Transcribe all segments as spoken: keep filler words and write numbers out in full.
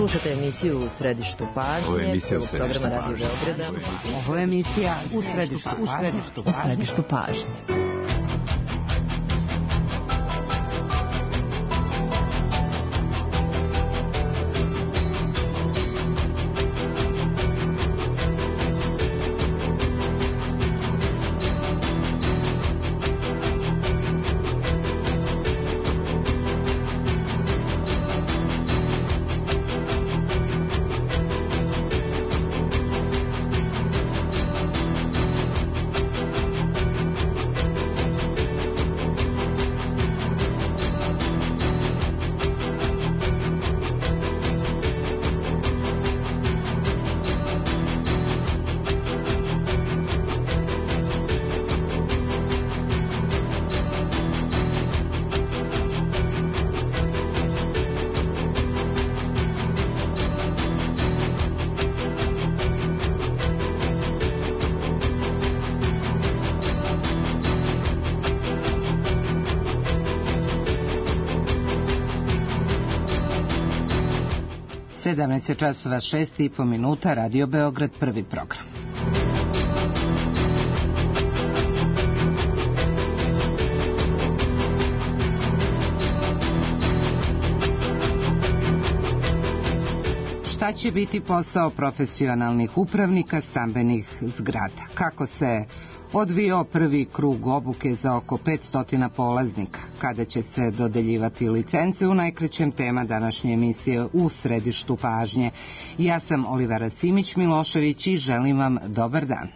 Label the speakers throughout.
Speaker 1: Slušajte emisiju U središtu pažnje, prvog programa Radio Beograda.
Speaker 2: Ovo je emisija U središtu, u središtu, u središtu pažnje. sedamnaest časova šest i po minuta, Radio Beograd, prvi program. Šta će biti posao profesionalnih upravnika stambenih zgrada? Kako se odvijao prvi krug obuke za oko petsto polaznika? Kada će se dodeljivati licence? U najkraćem tema današnje emisije U središtu pažnje. Ja sam Olivera Simić-Milošević i želim vam dobar dan.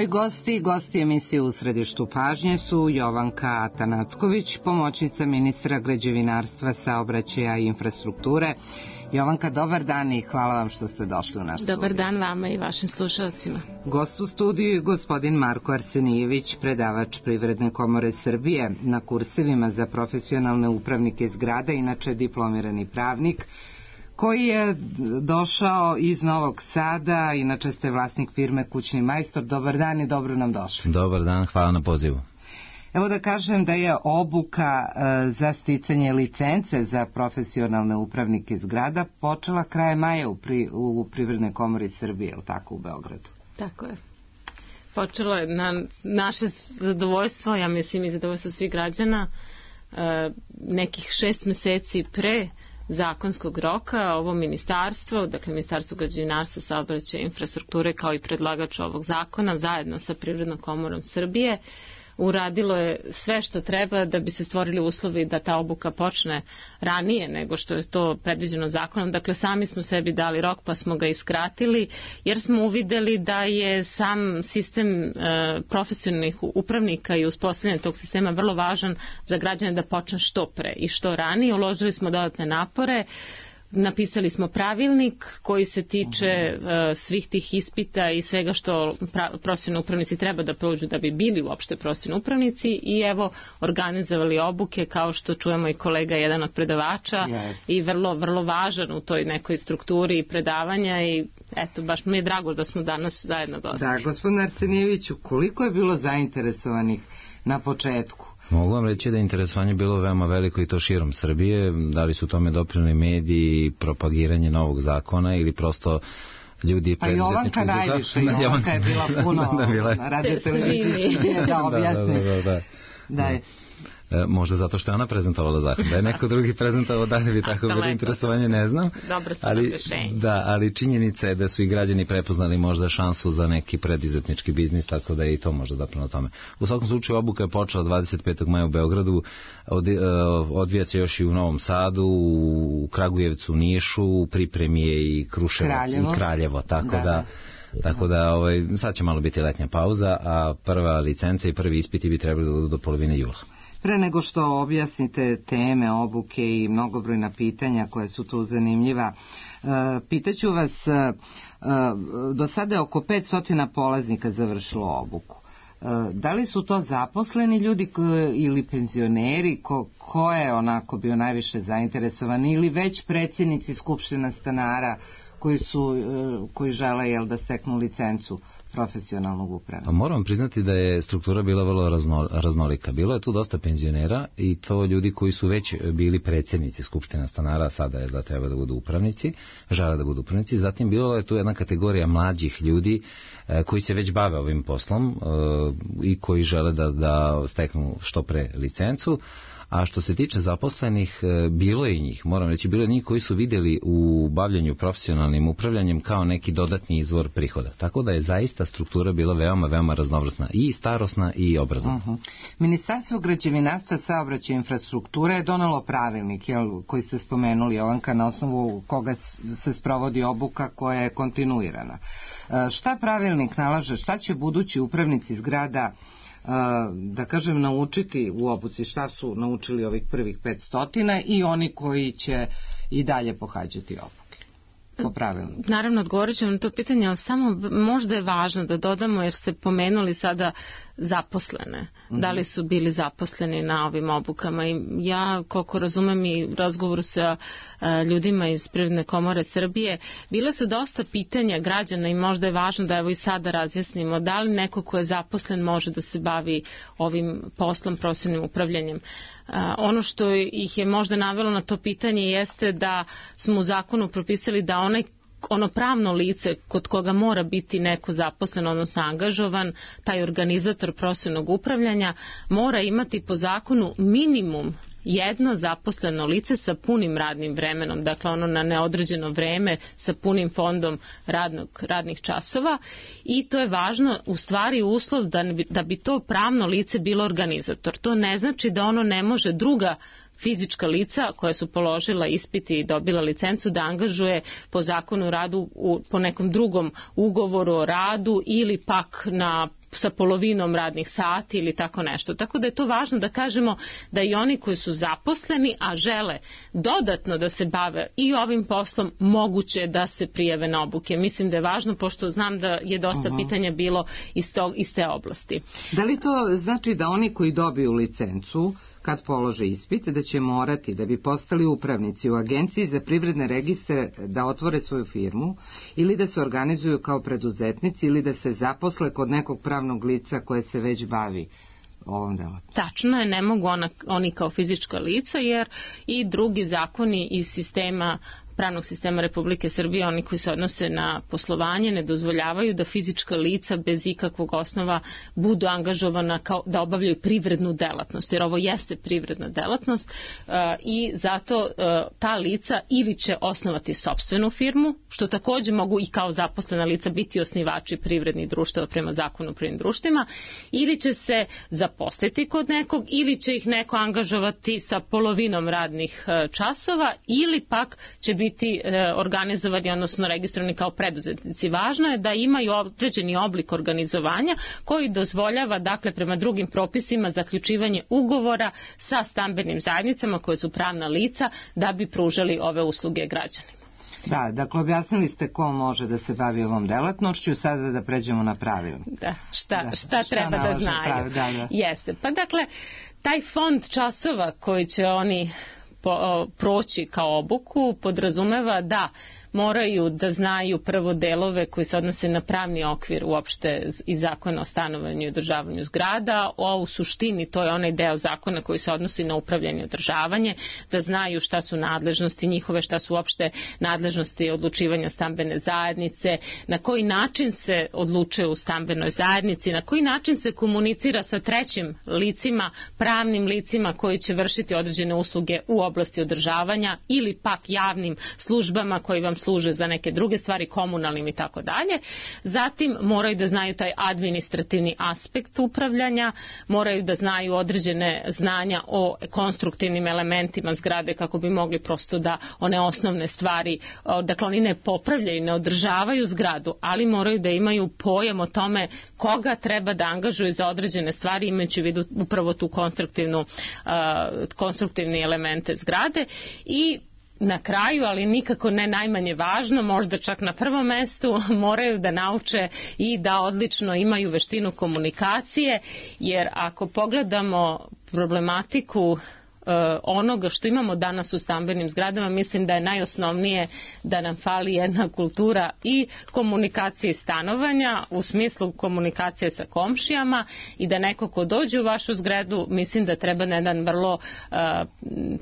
Speaker 2: Moji gosti, gosti emisije U središtu pažnje su Jovanka Atanacković, pomoćnica ministra građevinarstva, saobraćaja i infrastrukture. Jovanka, dobar dan i hvala vam što ste došli u naš studij.
Speaker 3: Dobar dan vama i vašim slušalcima.
Speaker 2: Gost u studiju je gospodin Marko Arsenijević, predavač Privredne komore Srbije na kursevima za profesionalne upravnike zgrada, inače diplomirani pravnik, koji je došao iz Novog Sada, inače ste vlasnik firme Kućni majstor. Dobar dan i dobro nam došli.
Speaker 4: Dobar dan, hvala na pozivu.
Speaker 2: Evo da kažem da je obuka e, za sticanje licence za profesionalne upravnike zgrada počela krajem maja u, pri, u Privrednoj komori Srbije, je li tako, u Beogradu?
Speaker 3: Tako je. Počelo je na naše zadovoljstvo, ja mislim i zadovoljstvo svih građana, e, nekih šest meseci pre zakonskog roka. Ovo ministarstvo, dakle Ministarstvo građevinarstva, saobraćaja i infrastrukture, kao i predlagač ovog zakona, zajedno sa Privrednom komorom Srbije, uradilo je sve što treba da bi se stvorili uslovi da ta obuka počne ranije nego što je to predviđeno zakonom. Dakle, sami smo sebi dali rok pa smo ga iskratili, jer smo uvideli da je sam sistem e, profesionalnih upravnika i uspostavljanje tog sistema vrlo važan za građane da počne što pre i što ranije. Uložili smo dodatne napore. Napisali smo pravilnik koji se tiče uh, svih tih ispita i svega što pra- profesionalni upravnici treba da prođu da bi bili uopšte profesionalni upravnici, i evo organizovali obuke, kao što čujemo i kolega jedan od predavača, yes. i vrlo, vrlo važan u toj nekoj strukturi predavanja, i eto, baš mi je drago da smo danas zajedno gosti.
Speaker 2: Da, gospodin Arsenijeviću, koliko je bilo zainteresovanih na početku?
Speaker 4: Mogu vam reći da je interesovanje bilo veoma veliko i to širom Srbije. Da li su tome doprineli mediji, propagiranje novog zakona ili prosto ljudi preduzetničkog...
Speaker 2: Pa Jovanka najviše, Jovanka je bila puno radio televizije da objasni.
Speaker 4: Da, da, da, da.
Speaker 2: Da je.
Speaker 4: E, možda zato što je ona prezentovala zakon. Da je neko drugi prezentovao, da li bi tako bilo interesovanje, ne znam.
Speaker 3: Dobro su
Speaker 4: ali, da, ali činjenica je da su i građani prepoznali možda šansu za neki preduzetnički biznis, tako da je i to možda doprino tome. U svakom slučaju obuka je počela dvadeset petog maja u Beogradu, od, odvija se još i u Novom Sadu, u Kragujevcu, u Nišu, u pripremi je i Kruševac Kraljevo. i Kraljevo, tako da... da Tako da ovaj, sad će malo biti letnja pauza, a prva licenca i prvi ispiti bi trebali da budu do polovine jula.
Speaker 2: Pre nego što objasnite teme obuke i mnogobrojna pitanja koja su tu zanimljiva, pitaću vas, do sada je oko petsto polaznika završilo obuku. Da li su to zaposleni ljudi ili penzioneri, ko, ko je onako bio najviše zainteresovan, ili već predsjednici skupština stanara koji su koji žele jel da steknu licencu profesionalnog upravnika?
Speaker 4: Moram priznati da je struktura bila vrlo razno, raznolika. Bilo je tu dosta penzionera i to ljudi koji su već bili predsjednici skupština stanara, sada je da treba da budu upravnici, žele da budu upravnici. Zatim bilo je tu jedna kategorija mlađih ljudi e, koji se već bave ovim poslom e, i koji žele da, da steknu što pre licencu. A što se tiče zaposlenih, bilo je i njih, moram reći, bilo je njih koji su vidjeli u bavljanju profesionalnim upravljanjem kao neki dodatni izvor prihoda. Tako da je zaista struktura bila veoma, veoma raznovrsna, i starosna i obrazovna.
Speaker 2: Uh-huh. Ministarstvo građevinarstva, saobraćaja i infrastrukture je donelo pravilnik, jel, koji ste spomenuli, Jovanka, na osnovu koga se sprovodi obuka koja je kontinuirana. Šta pravilnik nalaže, šta će budući upravnici zgrada, da kažem, naučiti u obuci, šta su naučili ovih prvih petstotina i oni koji će i dalje pohađati obuke? Po pravilu.
Speaker 3: Naravno, odgovorit ćemo na to pitanje, ali samo možda je važno da dodamo, jer ste pomenuli sada zaposlene. Mm-hmm. Da li su bili zaposleni na ovim obukama? I ja, koliko razumem i u razgovoru sa uh, ljudima iz Privredne komore Srbije, bile su dosta pitanja građana i možda je važno da evo i sada razjasnimo da li neko ko je zaposlen može da se bavi ovim poslom, profesionalnim upravljanjem. Uh, ono što ih je možda navelo na to pitanje jeste da smo u zakonu propisali da onaj ono pravno lice kod koga mora biti neko zaposlen, odnosno angažovan, taj organizator profesionalnog upravljanja mora imati po zakonu minimum jedno zaposleno lice sa punim radnim vremenom, dakle ono na neodređeno vreme sa punim fondom radnog, radnih časova, i to je važno, u stvari uslov da, da bi to pravno lice bilo organizator. To ne znači da ono ne može druga fizička lica koja su položila ispiti i dobila licencu da angažuje po zakonu o radu u, po nekom drugom ugovoru o radu ili pak na sa polovinom radnih sati ili tako nešto. Tako da je to važno da kažemo da i oni koji su zaposleni, a žele dodatno da se bave i ovim poslom, moguće da se prijave na obuke. Mislim da je važno, pošto znam da je dosta uh-huh. pitanja bilo iz, tog, iz te oblasti.
Speaker 2: Da li to znači da oni koji dobiju licencu kad polože ispit, da će morati, da bi postali upravnici u Agenciji za privredne registre, da otvore svoju firmu ili da se organizuju kao preduzetnici ili da se zaposle kod nekog pravnog lica koje se već bavi ovom delatnošću?
Speaker 3: Tačno je, ne mogu ona, oni kao fizička lica, jer i drugi zakoni iz sistema pravnog sistema Republike Srbije, oni koji se odnose na poslovanje, ne dozvoljavaju da fizička lica bez ikakvog osnova budu angažovana kao da obavljaju privrednu delatnost, jer ovo jeste privredna delatnost uh, i zato uh, ta lica ili će osnovati sopstvenu firmu, što također mogu i kao zaposlena lica biti osnivači privrednih društava prema zakonu o privrednim društvima, ili će se zaposliti kod nekog, ili će ih neko angažovati sa polovinom radnih uh, časova, ili pak će biti biti e, organizovani, odnosno registrovani kao preduzetnici. Važno je da imaju određeni oblik organizovanja koji dozvoljava, dakle, prema drugim propisima zaključivanje ugovora sa stambenim zajednicama koje su pravna lica da bi pružali ove usluge građanima.
Speaker 2: Da, dakle, objasnili ste ko može da se bavi ovom delatnošću, sada da pređemo na pravilo.
Speaker 3: Da, šta, da, šta, šta treba da znaju.
Speaker 2: Pravi, da, da.
Speaker 3: Jeste, pa dakle, taj fond časova koji će oni po, proći kao obuku podrazumeva da moraju da znaju prvo delove koji se odnose na pravni okvir uopšte i zakona o stanovanju i održavanju zgrada, a u suštini to je onaj deo zakona koji se odnosi na upravljanje i održavanje, da znaju šta su nadležnosti njihove, šta su uopšte nadležnosti odlučivanja stambene zajednice, na koji način se odlučuje u stambenoj zajednici, na koji način se komunicira sa trećim licima, pravnim licima koji će vršiti određene usluge u oblasti održavanja ili pak javnim službama koji vam služe za neke druge stvari, komunalnim i tako dalje. Zatim moraju da znaju taj administrativni aspekt upravljanja, moraju da znaju određene znanja o konstruktivnim elementima zgrade kako bi mogli prosto da one osnovne stvari, dakle oni ne popravljaju, ne održavaju zgradu, ali moraju da imaju pojam o tome koga treba da angažuju za određene stvari, imajući u vidu upravo tu konstruktivnu, uh, konstruktivne elemente zgrade. I na kraju, ali nikako ne najmanje važno, možda čak na prvom mestu, moraju da nauče i da odlično imaju veštinu komunikacije, jer ako pogledamo problematiku onoga što imamo danas u stambenim zgradama, mislim da je najosnovnije da nam fali jedna kultura i komunikacije stanovanja u smislu komunikacije sa komšijama i da neko ko dođe u vašu zgradu, mislim da treba na jedan vrlo uh,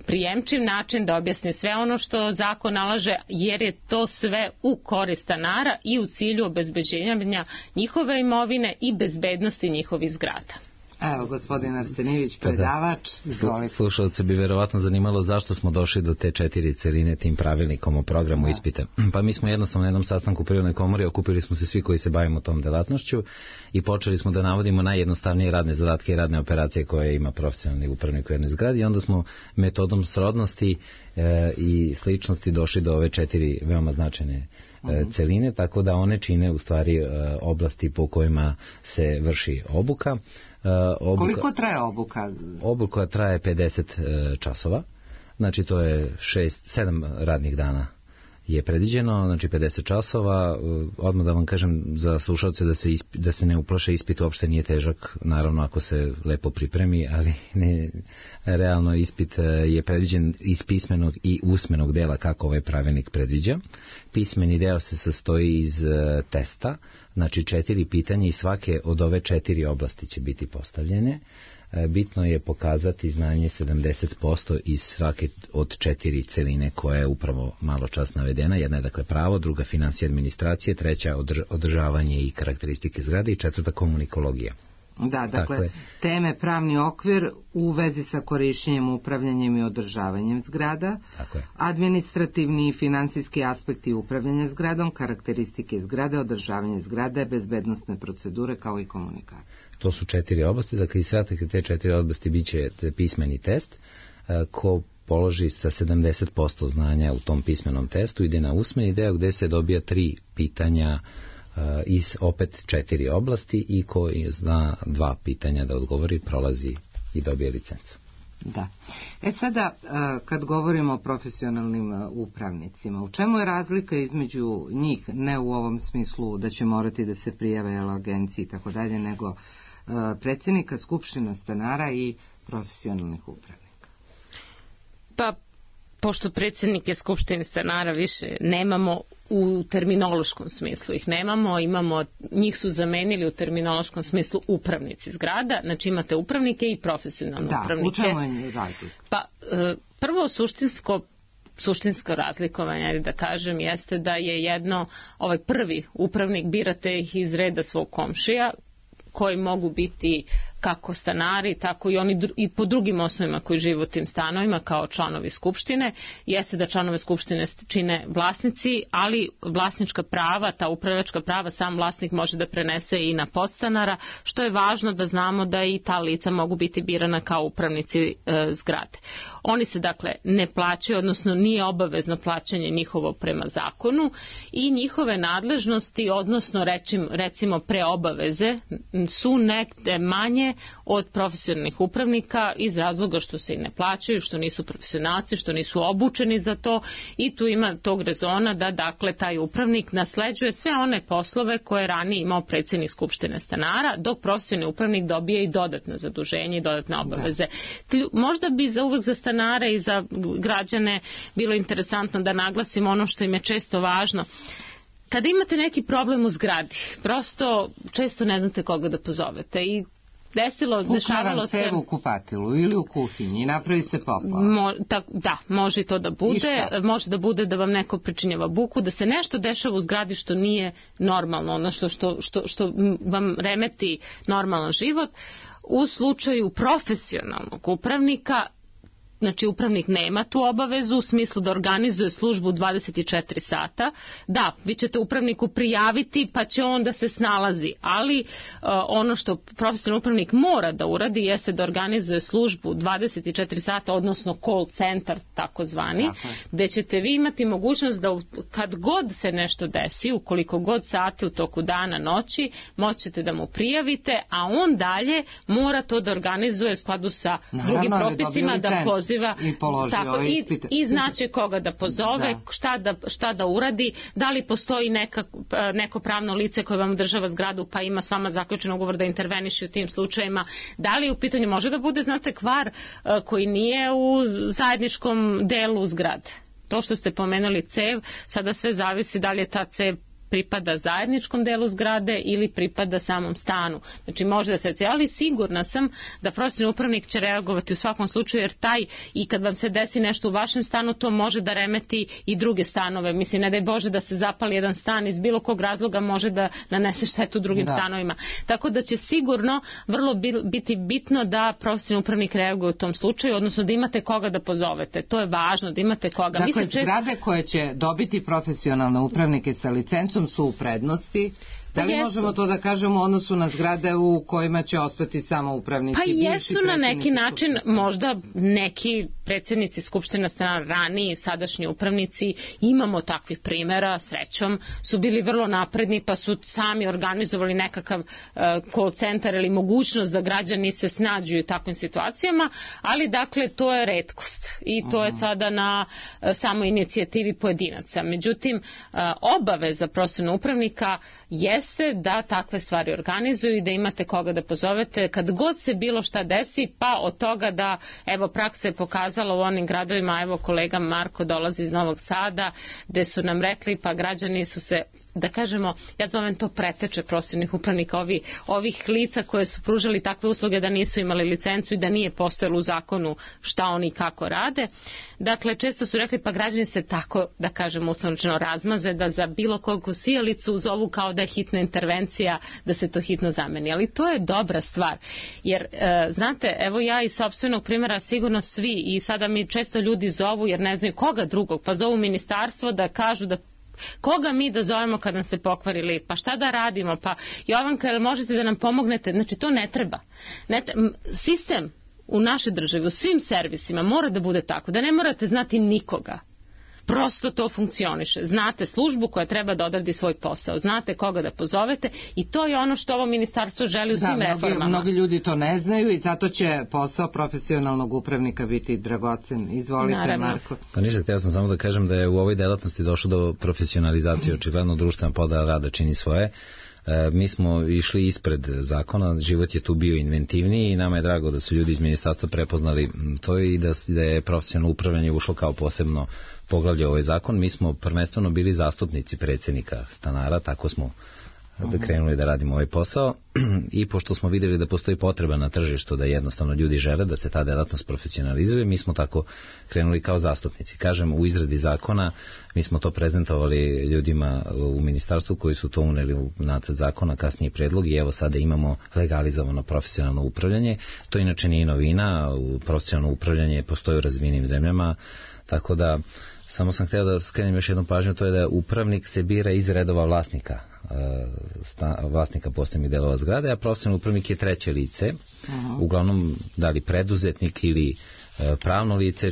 Speaker 3: prijemčiv način da objasni sve ono što zakon nalaže, jer je to sve u korist stanara i u cilju obezbeđenja njihove imovine i bezbednosti njihovih zgrada.
Speaker 2: Evo, gospodin Arsenijević, predavač, izvolite.
Speaker 4: Slušalce bi verovatno zanimalo zašto smo došli do te četiri celine tim pravilnikom o programu ispita. Pa mi smo jednostavno na jednom sastanku u Privrednoj komori, okupili smo se svi koji se bavimo tom delatnošću i počeli smo da navodimo najjednostavnije radne zadatke i radne operacije koje ima profesionalni upravnik u jednoj zgradi i onda smo metodom srodnosti e, i sličnosti došli do ove četiri veoma značajne e, celine, tako da one čine u stvari e, oblasti po kojima se vrši obuka.
Speaker 2: Uh, obuka, koliko traje obuka?
Speaker 4: Obuka traje pedeset uh, časova, znači to je šest, sedam radnih dana je predviđeno, znači pedeset časova. Uh, odmah da vam kažem za slušalce da se, isp, da se ne uplaše, ispit uopšte nije težak, naravno ako se lepo pripremi, ali ne, realno ispit uh, je predviđen iz pismenog i usmenog dela kako ovaj pravilnik predviđa. Pismeni deo se sastoji iz uh, testa, znači četiri pitanja i svake od ove četiri oblasti će biti postavljene. Bitno je pokazati znanje sedamdeset posto iz svake od četiri celine koja je upravo malo čas navedena. Jedna je dakle pravo, druga financije administracije, treća održavanje i karakteristike zgrade i četvrta komunikologija.
Speaker 2: Da, dakle, dakle, teme pravni okvir u vezi sa korišćenjem, upravljanjem i održavanjem zgrada, administrativni i finansijski aspekti upravljanja zgradom, karakteristike zgrade, održavanje zgrade, bezbednostne procedure kao i komunikacije.
Speaker 4: To su četiri oblasti, dakle i sve te četiri oblasti bit će pismeni test, ko položi sa sedamdeset posto znanja u tom pismenom testu, ide na usmeni deo gde se dobija tri pitanja iz opet četiri oblasti i koji zna dva pitanja da odgovori, prolazi i dobije licencu.
Speaker 2: Da. E sada, kad govorimo o profesionalnim upravnicima, u čemu je razlika između njih, ne u ovom smislu da će morati da se prijave agenciji i tako dalje, nego predsjednika skupština stanara i profesionalnih upravnika?
Speaker 3: Pa, pošto predsjednike skupštine stanara više nemamo u terminološkom smislu, ih nemamo, imamo, njih su zamenili u terminološkom smislu upravnici zgrada, znači imate upravnike i profesionalne
Speaker 2: da,
Speaker 3: upravnike.
Speaker 2: Da, u čemu je razlika?
Speaker 3: Pa, prvo suštinsko suštinsko razlikovanje, da kažem, jeste da je jedno, ovaj prvi upravnik, birate ih iz reda svog komšija, koji mogu biti kako stanari, tako i oni i po drugim osnovima koji žive u tim stanovima kao članovi skupštine. Jeste da članove skupštine čine vlasnici, ali vlasnička prava, ta upravljačka prava sam vlasnik može da prenese i na podstanara, što je važno da znamo da i ta lica mogu biti birana kao upravnici e, zgrade. Oni se dakle ne plaćaju, odnosno nije obavezno plaćanje njihovo prema zakonu i njihove nadležnosti, odnosno rečim, recimo preobaveze, su negde manje od profesionalnih upravnika iz razloga što se i ne plaćaju, što nisu profesionalci, što nisu obučeni za to i tu ima tog rezona da dakle taj upravnik nasleđuje sve one poslove koje je ranije imao predsjednik skupštine stanara, dok profesionalni upravnik dobije i dodatno zaduženje i dodatne obaveze. Da. Možda bi za uvek za stanare i za građane bilo interesantno da naglasimo ono što im je često važno. Kada imate neki problem u zgradi, prosto često ne znate koga da pozovete i desilo, dešavalo se...
Speaker 2: u kupatilu ili u kuhinji i napravi se poplava.
Speaker 3: Mo, ta, da, može to da bude, može da bude da vam neko pričinjava buku, da se nešto dešava u zgradi što nije normalno, ono što, što, što, što vam remeti normalan život. U slučaju profesionalnog upravnika znači upravnik nema tu obavezu u smislu da organizuje službu dvadeset četiri sata. Da, vi ćete upravniku prijaviti pa će on da se snalazi, ali uh, ono što profesionalni upravnik mora da uradi jeste da organizuje službu dvadeset četiri sata, odnosno call center takozvani, gde ćete vi imati mogućnost da kad god se nešto desi, ukoliko god sati u toku dana, noći, moćete da mu prijavite, a on dalje mora to da organizuje u skladu sa Naravno, drugim propisima, da poziva
Speaker 2: i,
Speaker 3: tako, i, i znaće koga da pozove, da. Šta, da, šta da uradi, da li postoji neka, neko pravno lice koje vam održava zgradu pa ima s vama zaključen ugovor da interveniše u tim slučajima, da li u pitanju može da bude, znate, kvar koji nije u zajedničkom delu zgrade. To što ste pomenuli cev, sada sve zavisi da li je ta cev pripada zajedničkom delu zgrade ili pripada samom stanu. Znači može da se, ali sigurna sam da profesionalni upravnik će reagovati u svakom slučaju, jer taj, i kad vam se desi nešto u vašem stanu, to može da remeti i druge stanove. Mislim, ne daj Bože da se zapali jedan stan, iz bilo kog razloga može da nanese štetu drugim da. stanovima. Tako da će sigurno vrlo biti bitno da profesionalni upravnik reaguje u tom slučaju, odnosno da imate koga da pozovete. To je važno, da imate koga.
Speaker 2: Dakle,
Speaker 3: Mislim,
Speaker 2: zgrade čest... koje će dobiti profesionalne upravnike sa licencom su u prednosti. Da li možemo to da kažemo u odnosu na zgrade u kojima će ostati samo upravnici?
Speaker 3: Pa jesu na neki način, možda neki predsjednici skupština strana, raniji, sadašnji upravnici, imamo takvih primjera, srećom, su bili vrlo napredni pa su sami organizovali nekakav uh, call center ili mogućnost da građani se snađu u takvim situacijama, ali dakle to je retkost i to je sada na uh, samo inicijativi pojedinaca. Međutim, uh, obaveza profesionalnog upravnika je jeste da takve stvari organizuju i da imate koga da pozovete kad god se bilo šta desi, pa od toga da, evo, praksa je pokazala u onim gradovima, evo kolega Marko dolazi iz Novog Sada, gde su nam rekli, pa građani su se, da kažemo, ja zovem to preteče profesionalnih upravnika, ovi, ovih lica koje su pružali takve usluge da nisu imali licencu i da nije postojalo u zakonu šta oni kako rade. Dakle, često su rekli, pa građani se tako, da kažemo, uslovno razmaze da za bilo kogu sijalicu zovu kao da je hitna intervencija, da se to hitno zameni. Ali to je dobra stvar. Jer, e, znate, evo ja iz sopstvenog primjera sigurno svi, i sada mi često ljudi zovu jer ne znaju koga drugog, pa zovu ministarstvo da kažu da koga mi da zovemo kad nam se pokvari lift, pa šta da radimo, pa Jovanka, jel možete da nam pomognete? Znači, to ne treba. Ne te, sistem u našoj državi, u svim servisima mora da bude tako, da ne morate znati nikoga. Prosto to funkcioniše. Znate službu koja treba da odradi svoj posao. Znate koga da pozovete i to je ono što ovo ministarstvo želi u svim
Speaker 2: da,
Speaker 3: reformama.
Speaker 2: Mnogi ljudi to ne znaju i zato će posao profesionalnog upravnika biti dragocen. Izvolite, Naravno. Marko.
Speaker 4: Pa ništa, htio sam samo da kažem da je u ovoj delatnosti došlo do profesionalizacije. Očigledno društvena podela rada čini svoje. E, mi smo išli ispred zakona, život je tu bio inventivniji i nama je drago da su ljudi iz ministarstva prepoznali to i da, da je profesionalno upravljanje ušlo kao posebno poglavlje ovaj zakon. Mi smo prvenstveno bili zastupnici predsjednika stanara, tako smo da krenuli da radimo ovaj posao i pošto smo vidjeli da postoji potreba na tržištu da jednostavno ljudi žele da se ta delatnost profesionalizuje, mi smo tako krenuli kao zastupnici. Kažem, u izradi zakona mi smo to prezentovali ljudima u ministarstvu koji su to uneli u nacrt zakona, kasnije predlog i evo sada imamo legalizovano profesionalno upravljanje. To inače nije novina, profesionalno upravljanje postoji u razvijenim zemljama, tako da samo sam htio da skrenem još jednu pažnju, to je da upravnik se bira iz redova vlasnika, sta, vlasnika poslovnih delova zgrade, a profesionalni upravnik je treće lice, uh-huh. uglavnom da li preduzetnik ili e, pravno lice,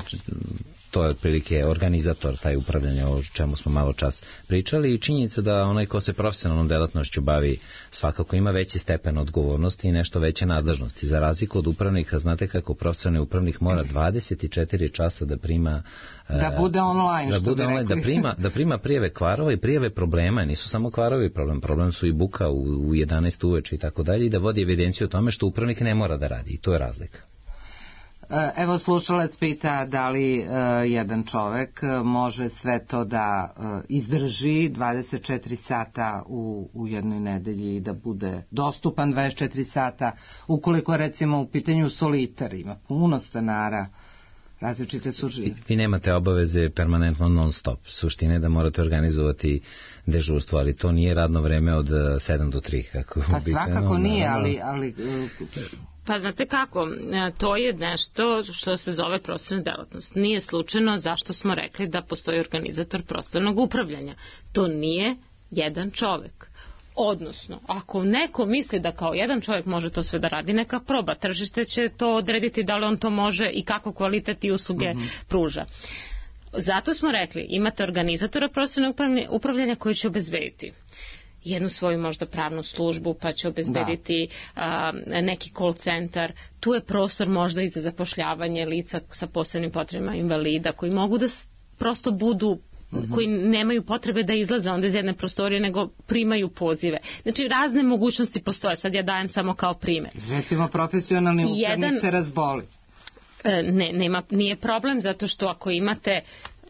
Speaker 4: to je otprilike organizator taj upravljanja, o čemu smo malo čas pričali, i činjenica da onaj ko se profesionalnom delatnošću bavi svakako ima veći stepen odgovornosti i nešto veće nadležnosti. Za razliku od upravnika, znate kako profesionalni upravnik mora dvadeset četiri časa da prima
Speaker 2: da bude online,
Speaker 4: da, bude online, da, prima, da prima prijave kvarova i prijave problema, nisu samo kvarovi problem, problem su i buka u, u jedanaest uveče i tako dalje, i da vodi evidenciju o tome što upravnik ne mora da radi, i to je razlika.
Speaker 2: Evo, slušalac pita da li uh, jedan čovek može sve to da uh, izdrži dvadeset četiri sata u, u jednoj nedelji i da bude dostupan dvadeset četiri sata, ukoliko recimo u pitanju solitar, ima puno stanara, različite su žive.
Speaker 4: Vi nemate obaveze permanentno non stop. Suština je da morate organizovati dežurstvo, ali to nije radno vreme od sedam do tri. Kako
Speaker 2: pa svakako nije, ali... ali
Speaker 3: Pa znate kako, to je nešto što se zove prostorna delatnost. Nije slučajno zašto smo rekli da postoji organizator prostornog upravljanja. To nije jedan čovek. Odnosno, ako neko misli da kao jedan čovjek može to sve da radi, neka proba. Tržište će to odrediti da li on to može i kako kvalitet i usluge mm-hmm. pruža. Zato smo rekli, imate organizatora prostornog upravljanja koji će obezbediti jednu svoju možda pravnu službu, pa će obezbediti a, neki call centar. Tu je prostor možda i za zapošljavanje lica sa posebnim potrebama, invalida, koji mogu da prosto budu Mm-hmm. koji nemaju potrebe da izlaze onda iz jedne prostorije, nego primaju pozive. Znači, razne mogućnosti postoje. Sad ja dajem samo kao primjer.
Speaker 2: Recimo, profesionalni upravnik se razboli.
Speaker 3: Ne, nema, nije problem, zato što ako imate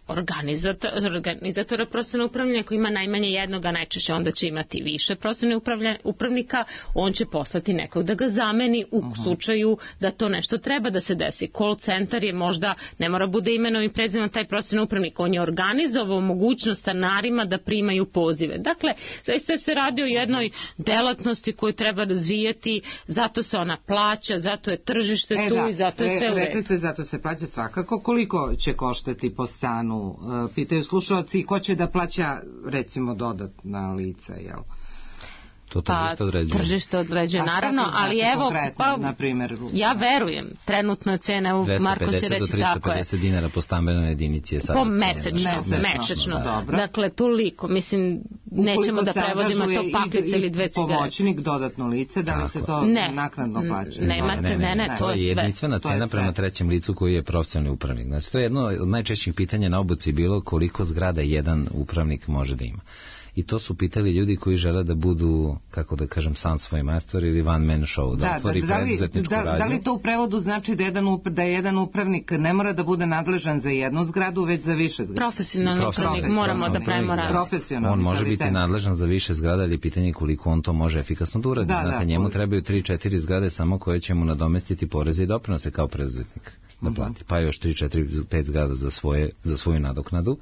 Speaker 3: organizator, organizatora prostornog upravljanja koji ima najmanje jednog, a najčešće onda će imati više prostornih upravnika, on će poslati nekog da ga zameni u uh-huh. slučaju da to nešto treba da se desi. Call centar je možda, ne mora bude imenom i prezimenom taj prostorni upravnik, on je organizovao mogućnost stanarima da primaju pozive. Dakle, zaista se radi o jednoj delatnosti koju treba razvijati, zato se ona plaća, zato je tržište e, tu da, i zato je sve u redu.
Speaker 2: Rekli ste, zato se plaća svakako. Koliko će koštati po stanu? Pitaju slušalci, ko će da plaća recimo dodatna lica, jel?
Speaker 4: To tržište određuje.
Speaker 3: Tržište određuje, naravno, ali evo, pa,
Speaker 2: na primjer,
Speaker 3: ja verujem, trenutno cene, evo Marko će reći tako je.
Speaker 4: dvesta pedeset do trista pedeset dinara po stambenoj jedinici je sad.
Speaker 3: Po mesečno, mesečno, mesečno. Da. Dakle, toliko, mislim, nećemo da prevodimo to paklice ili dve cigarete.
Speaker 2: Pomoćnik, dodatno lice, da li se to ne. naknadno plaća?
Speaker 3: Nemate, ne, ne, ne, ne, to je sve.
Speaker 4: Jedinstvena cena prema trećem licu koji je profesionalni upravnik. Znači, to je jedno od najčešćih pitanja na obuci bilo koliko zgrada jedan upravnik može da ima. I to su pitali ljudi koji žele da budu, kako da kažem, sam svoj majstor ili one man show, da, da otvori da, preduzetničku
Speaker 2: da,
Speaker 4: radnju.
Speaker 2: Da li to u prevodu znači da jedan, da jedan upravnik ne mora da bude nadležan za jednu zgradu, već za više zgrada?
Speaker 3: Profesionalni upravnik, moramo da pravimo razliku.
Speaker 4: On može biti nadležan za više zgrada, ali pitanje koliko on to može efikasno da uradi. Da, Znate, da, njemu trebaju tri četiri zgrade samo koje će mu nadomestiti poreze i doprinose kao preduzetnik da plati. Uh-huh. Pa još tri četiri pet zgrada za, svoje, za svoju nadoknadu.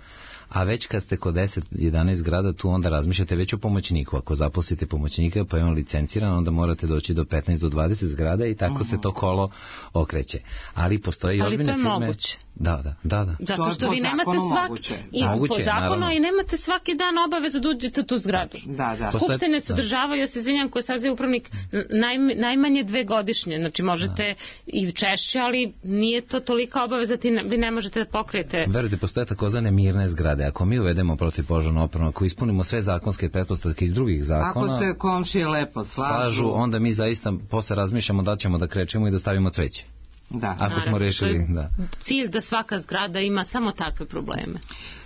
Speaker 4: A već kad ste kod deset jedanaest zgrada, tu onda razmišljate već o pomoćniku. Ako zaposlite pomoćnika pa je on licenciran, onda morate doći do petnaest do dvadeset zgrada i tako uh-huh. se to kolo okreće. Ali postoji ozbiljne firme.
Speaker 3: Ali to je moguće.
Speaker 4: Da, da, da, da.
Speaker 3: Zato što vi nemate svaki i moguće, po zakonu naravno. I nemate svaki dan obavezu da uđete u tu zgradu. Da, da. Skupštine se održavaju, ja se izvinjam, ko sad je upravnik naj, najmanje dve godišnje. Znači možete da. I češće, ali nije to tolika obaveza, ti ne, vi ne možete da pokrijete.
Speaker 4: Verujte, postoje takozvane mirne zgrade. Ako mi uvedemo protivpožarnu opremu, ako ispunimo sve zakonske pretpostavke iz drugih zakona,
Speaker 2: ako se komšije lepo slažu,
Speaker 4: slažu onda mi zaista posle razmišljamo da ćemo da krećemo i da stavimo cveće.
Speaker 2: Da.
Speaker 4: Ako naravno, smo rešili, da.
Speaker 3: Cilj da svaka zgrada ima samo takve probleme.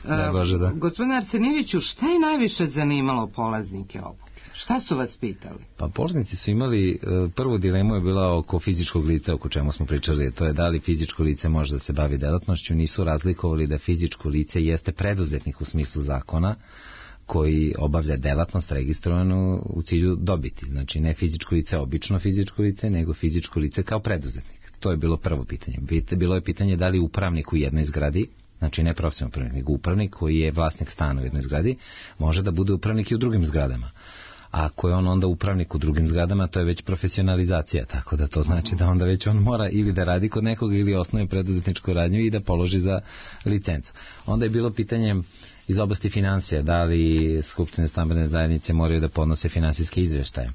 Speaker 4: Da, Bože, da.
Speaker 2: Gospodine Arsenijeviću, šta je najviše zanimalo polaznike obuke? Šta su vas pitali?
Speaker 4: Pa polaznici su imali, prvu dilemu je bila oko fizičkog lica, oko čemu smo pričali, to je da li fizičko lice može da se bavi delatnošću, nisu razlikovali da fizičko lice jeste preduzetnik u smislu zakona, koji obavlja delatnost registrovanu u cilju dobiti. Znači ne fizičko lice, obično fizičko lice, nego fizičko lice kao preduzetnik. To je bilo prvo pitanje. Bilo je pitanje da li upravnik u jednoj zgradi, znači ne profesionalni upravnik, nego upravnik koji je vlasnik stana u jednoj zgradi, može da bude upravnik i u drugim zgradama. A ako je on onda upravnik u drugim zgradama, to je već profesionalizacija, tako da to znači da onda već on mora ili da radi kod nekog ili osnuje preduzetničku radnju i da položi za licencu. Onda je bilo pitanje iz oblasti financija, da li skupštine stambene zajednice moraju da podnose finansijske izveštaje.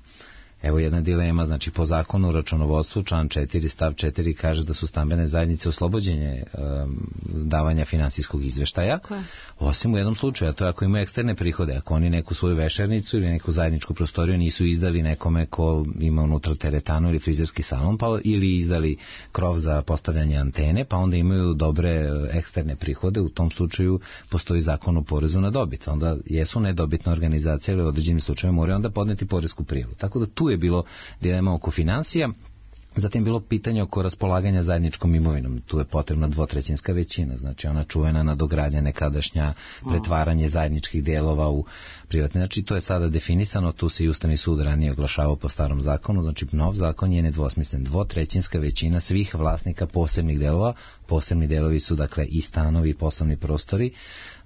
Speaker 4: Evo jedna dilema, znači po zakonu o računovodstvu, član četiri, stav četiri kaže da su stambene zajednice oslobođenje um, davanja finansijskog izveštaja, okay. Osim u jednom slučaju, a to je ako imaju eksterne prihode, ako oni neku svoju vešernicu ili neku zajedničku prostoriju nisu izdali nekome ko ima unutra teretanu ili frizerski salon, pa ili izdali krov za postavljanje antene, pa onda imaju dobre eksterne prihode, u tom slučaju postoji zakon o porezu na dobit, onda jesu nedobitna organizacija ili u određenim slučajima moraju onda podneti poresku prijavu. Tako da tu je bilo dilema oko financija, zatim bilo pitanje oko raspolaganja zajedničkom imovinom. Tu je potrebna dvotrećinska većina, znači ona čuvena nadogradnja nekadašnja, pretvaranje zajedničkih delova u privatne. Znači to je sada definisano, tu se i Ustavni sud ranije oglašavao po starom zakonu, znači nov zakon je nedvosmislen. Dvotrećinska većina svih vlasnika posebnih delova, posebni delovi su dakle i stanovi i poslovni prostori,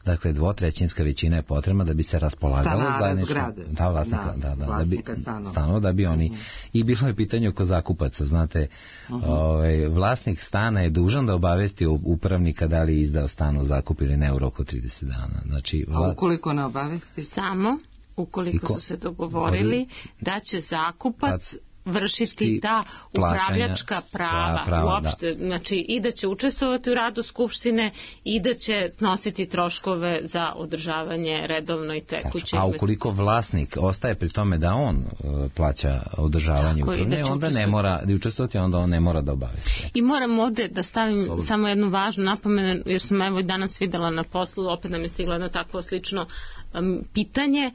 Speaker 4: Dakle, dvotrećinska većina je potrebna da bi se raspolagalo zajedničko... Da, vlasnika, da, da,
Speaker 2: vlasnika
Speaker 4: da bi,
Speaker 2: stanova.
Speaker 4: stanova, da bi oni... Mm-hmm. I bilo je pitanje oko zakupaca, znate, uh-huh. ovaj, vlasnik stana je dužan da obavesti upravnika da li je izdao stan u zakup ili ne u roku trideset dana. Znači,
Speaker 2: vla... A ukoliko ne obavesti?
Speaker 3: Samo ukoliko ko... su se dogovorili da će zakupac vršiti ta upravljačka prava,
Speaker 4: prava, prava
Speaker 3: uopšte, da. Znači i da će učestvovati u radu Skupštine i da će snositi troškove za održavanje redovno i tekuće.
Speaker 4: A ukoliko vlasnik ostaje pri tome da on uh, plaća održavanje upravne, onda ne mora da učestvovati, onda on ne mora da obavesti.
Speaker 3: I moram ovde da stavim Slobodno. samo jednu važnu napomenu, jer sam evo i danas videla na poslu, opet nam je stiglo jedno takvo slično um, pitanje,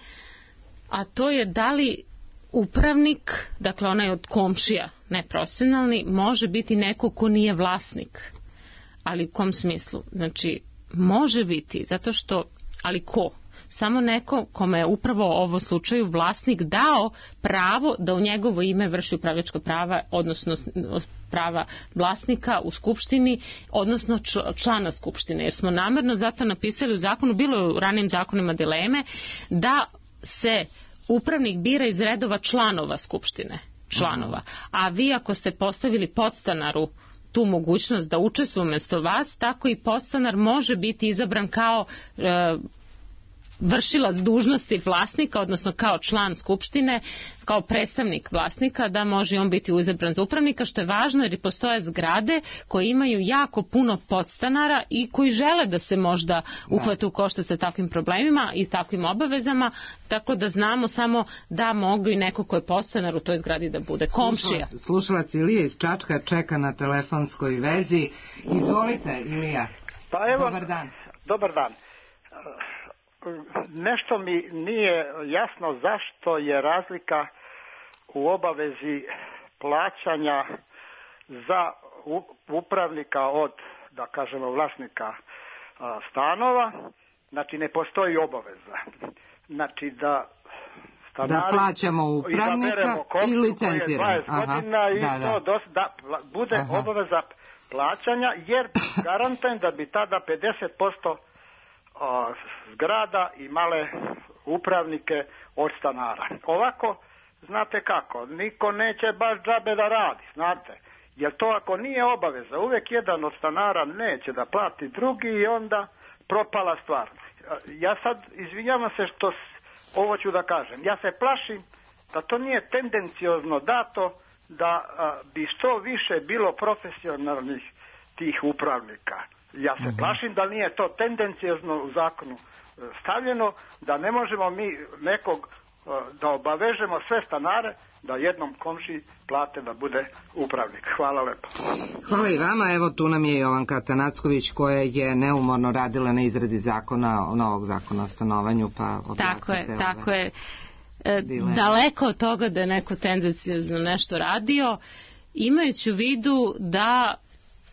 Speaker 3: a to je da li upravnik, dakle onaj od komšija, ne profesionalni, može biti neko ko nije vlasnik. Ali u kom smislu? Znači, može biti, zato što, ali ko? Samo neko kome je upravo u ovom slučaju vlasnik dao pravo da u njegovo ime vrši upravljačka prava, odnosno prava vlasnika u skupštini, odnosno člana skupštine. Jer smo namerno zato napisali u zakonu, bilo je u ranijim zakonima dileme, da se upravnik bira iz redova članova skupštine, članova. A vi ako ste postavili podstanaru tu mogućnost da učestvuje umjesto vas, tako i podstanar može biti izabran kao e, vršilac dužnosti vlasnika, odnosno kao član skupštine, kao predstavnik vlasnika, da može on biti izabran za upravnika, što je važno jer postoje zgrade koje imaju jako puno podstanara i koji žele da se možda uhvate u koštac sa takvim problemima i takvim obavezama, tako da znamo samo da mogu i neko ko je podstanar u toj zgradi da bude komšija.
Speaker 2: Slušalac Ilija iz Čačka čeka na telefonskoj vezi. Izvolite, Ilija.
Speaker 5: Pa evo,
Speaker 2: dobar dan.
Speaker 5: Dobar dan. Nešto mi nije jasno zašto je razlika u obavezi plaćanja za upravnika od, da kažemo, vlasnika stanova. Znači ne postoji obaveza. Znači da stanari
Speaker 2: da plaćamo upravnika i licenciramo.
Speaker 5: Godina i da, da. To dos, da bude Aha. obaveza plaćanja, jer garantujem da bi tada pedeset posto zgrada imale upravnike od stanara. Ovako, znate kako, niko neće baš džabe da radi, znate, jer to ako nije obaveza, uvijek jedan od stanara neće da plati drugi i onda propala stvar. Ja sad, izvinjavam se što ovo ću da kažem, ja se plašim da to nije tendenciozno dato da a, bi što više bilo profesionalnih tih upravnika. Ja se plašim da nije to tendencijozno u zakonu stavljeno, da ne možemo mi nekog da obavežemo sve stanare da jednom komšiji plate da bude upravnik. Hvala lepo.
Speaker 2: Hvala i vama. Evo tu nam je Jovanka Tanacković koja je neumorno radila na izradi zakona, novog zakona o stanovanju, pa objasnite.
Speaker 3: Tako je, tako je. E, daleko od toga da je neko tendencijozno nešto radio, imajući u vidu da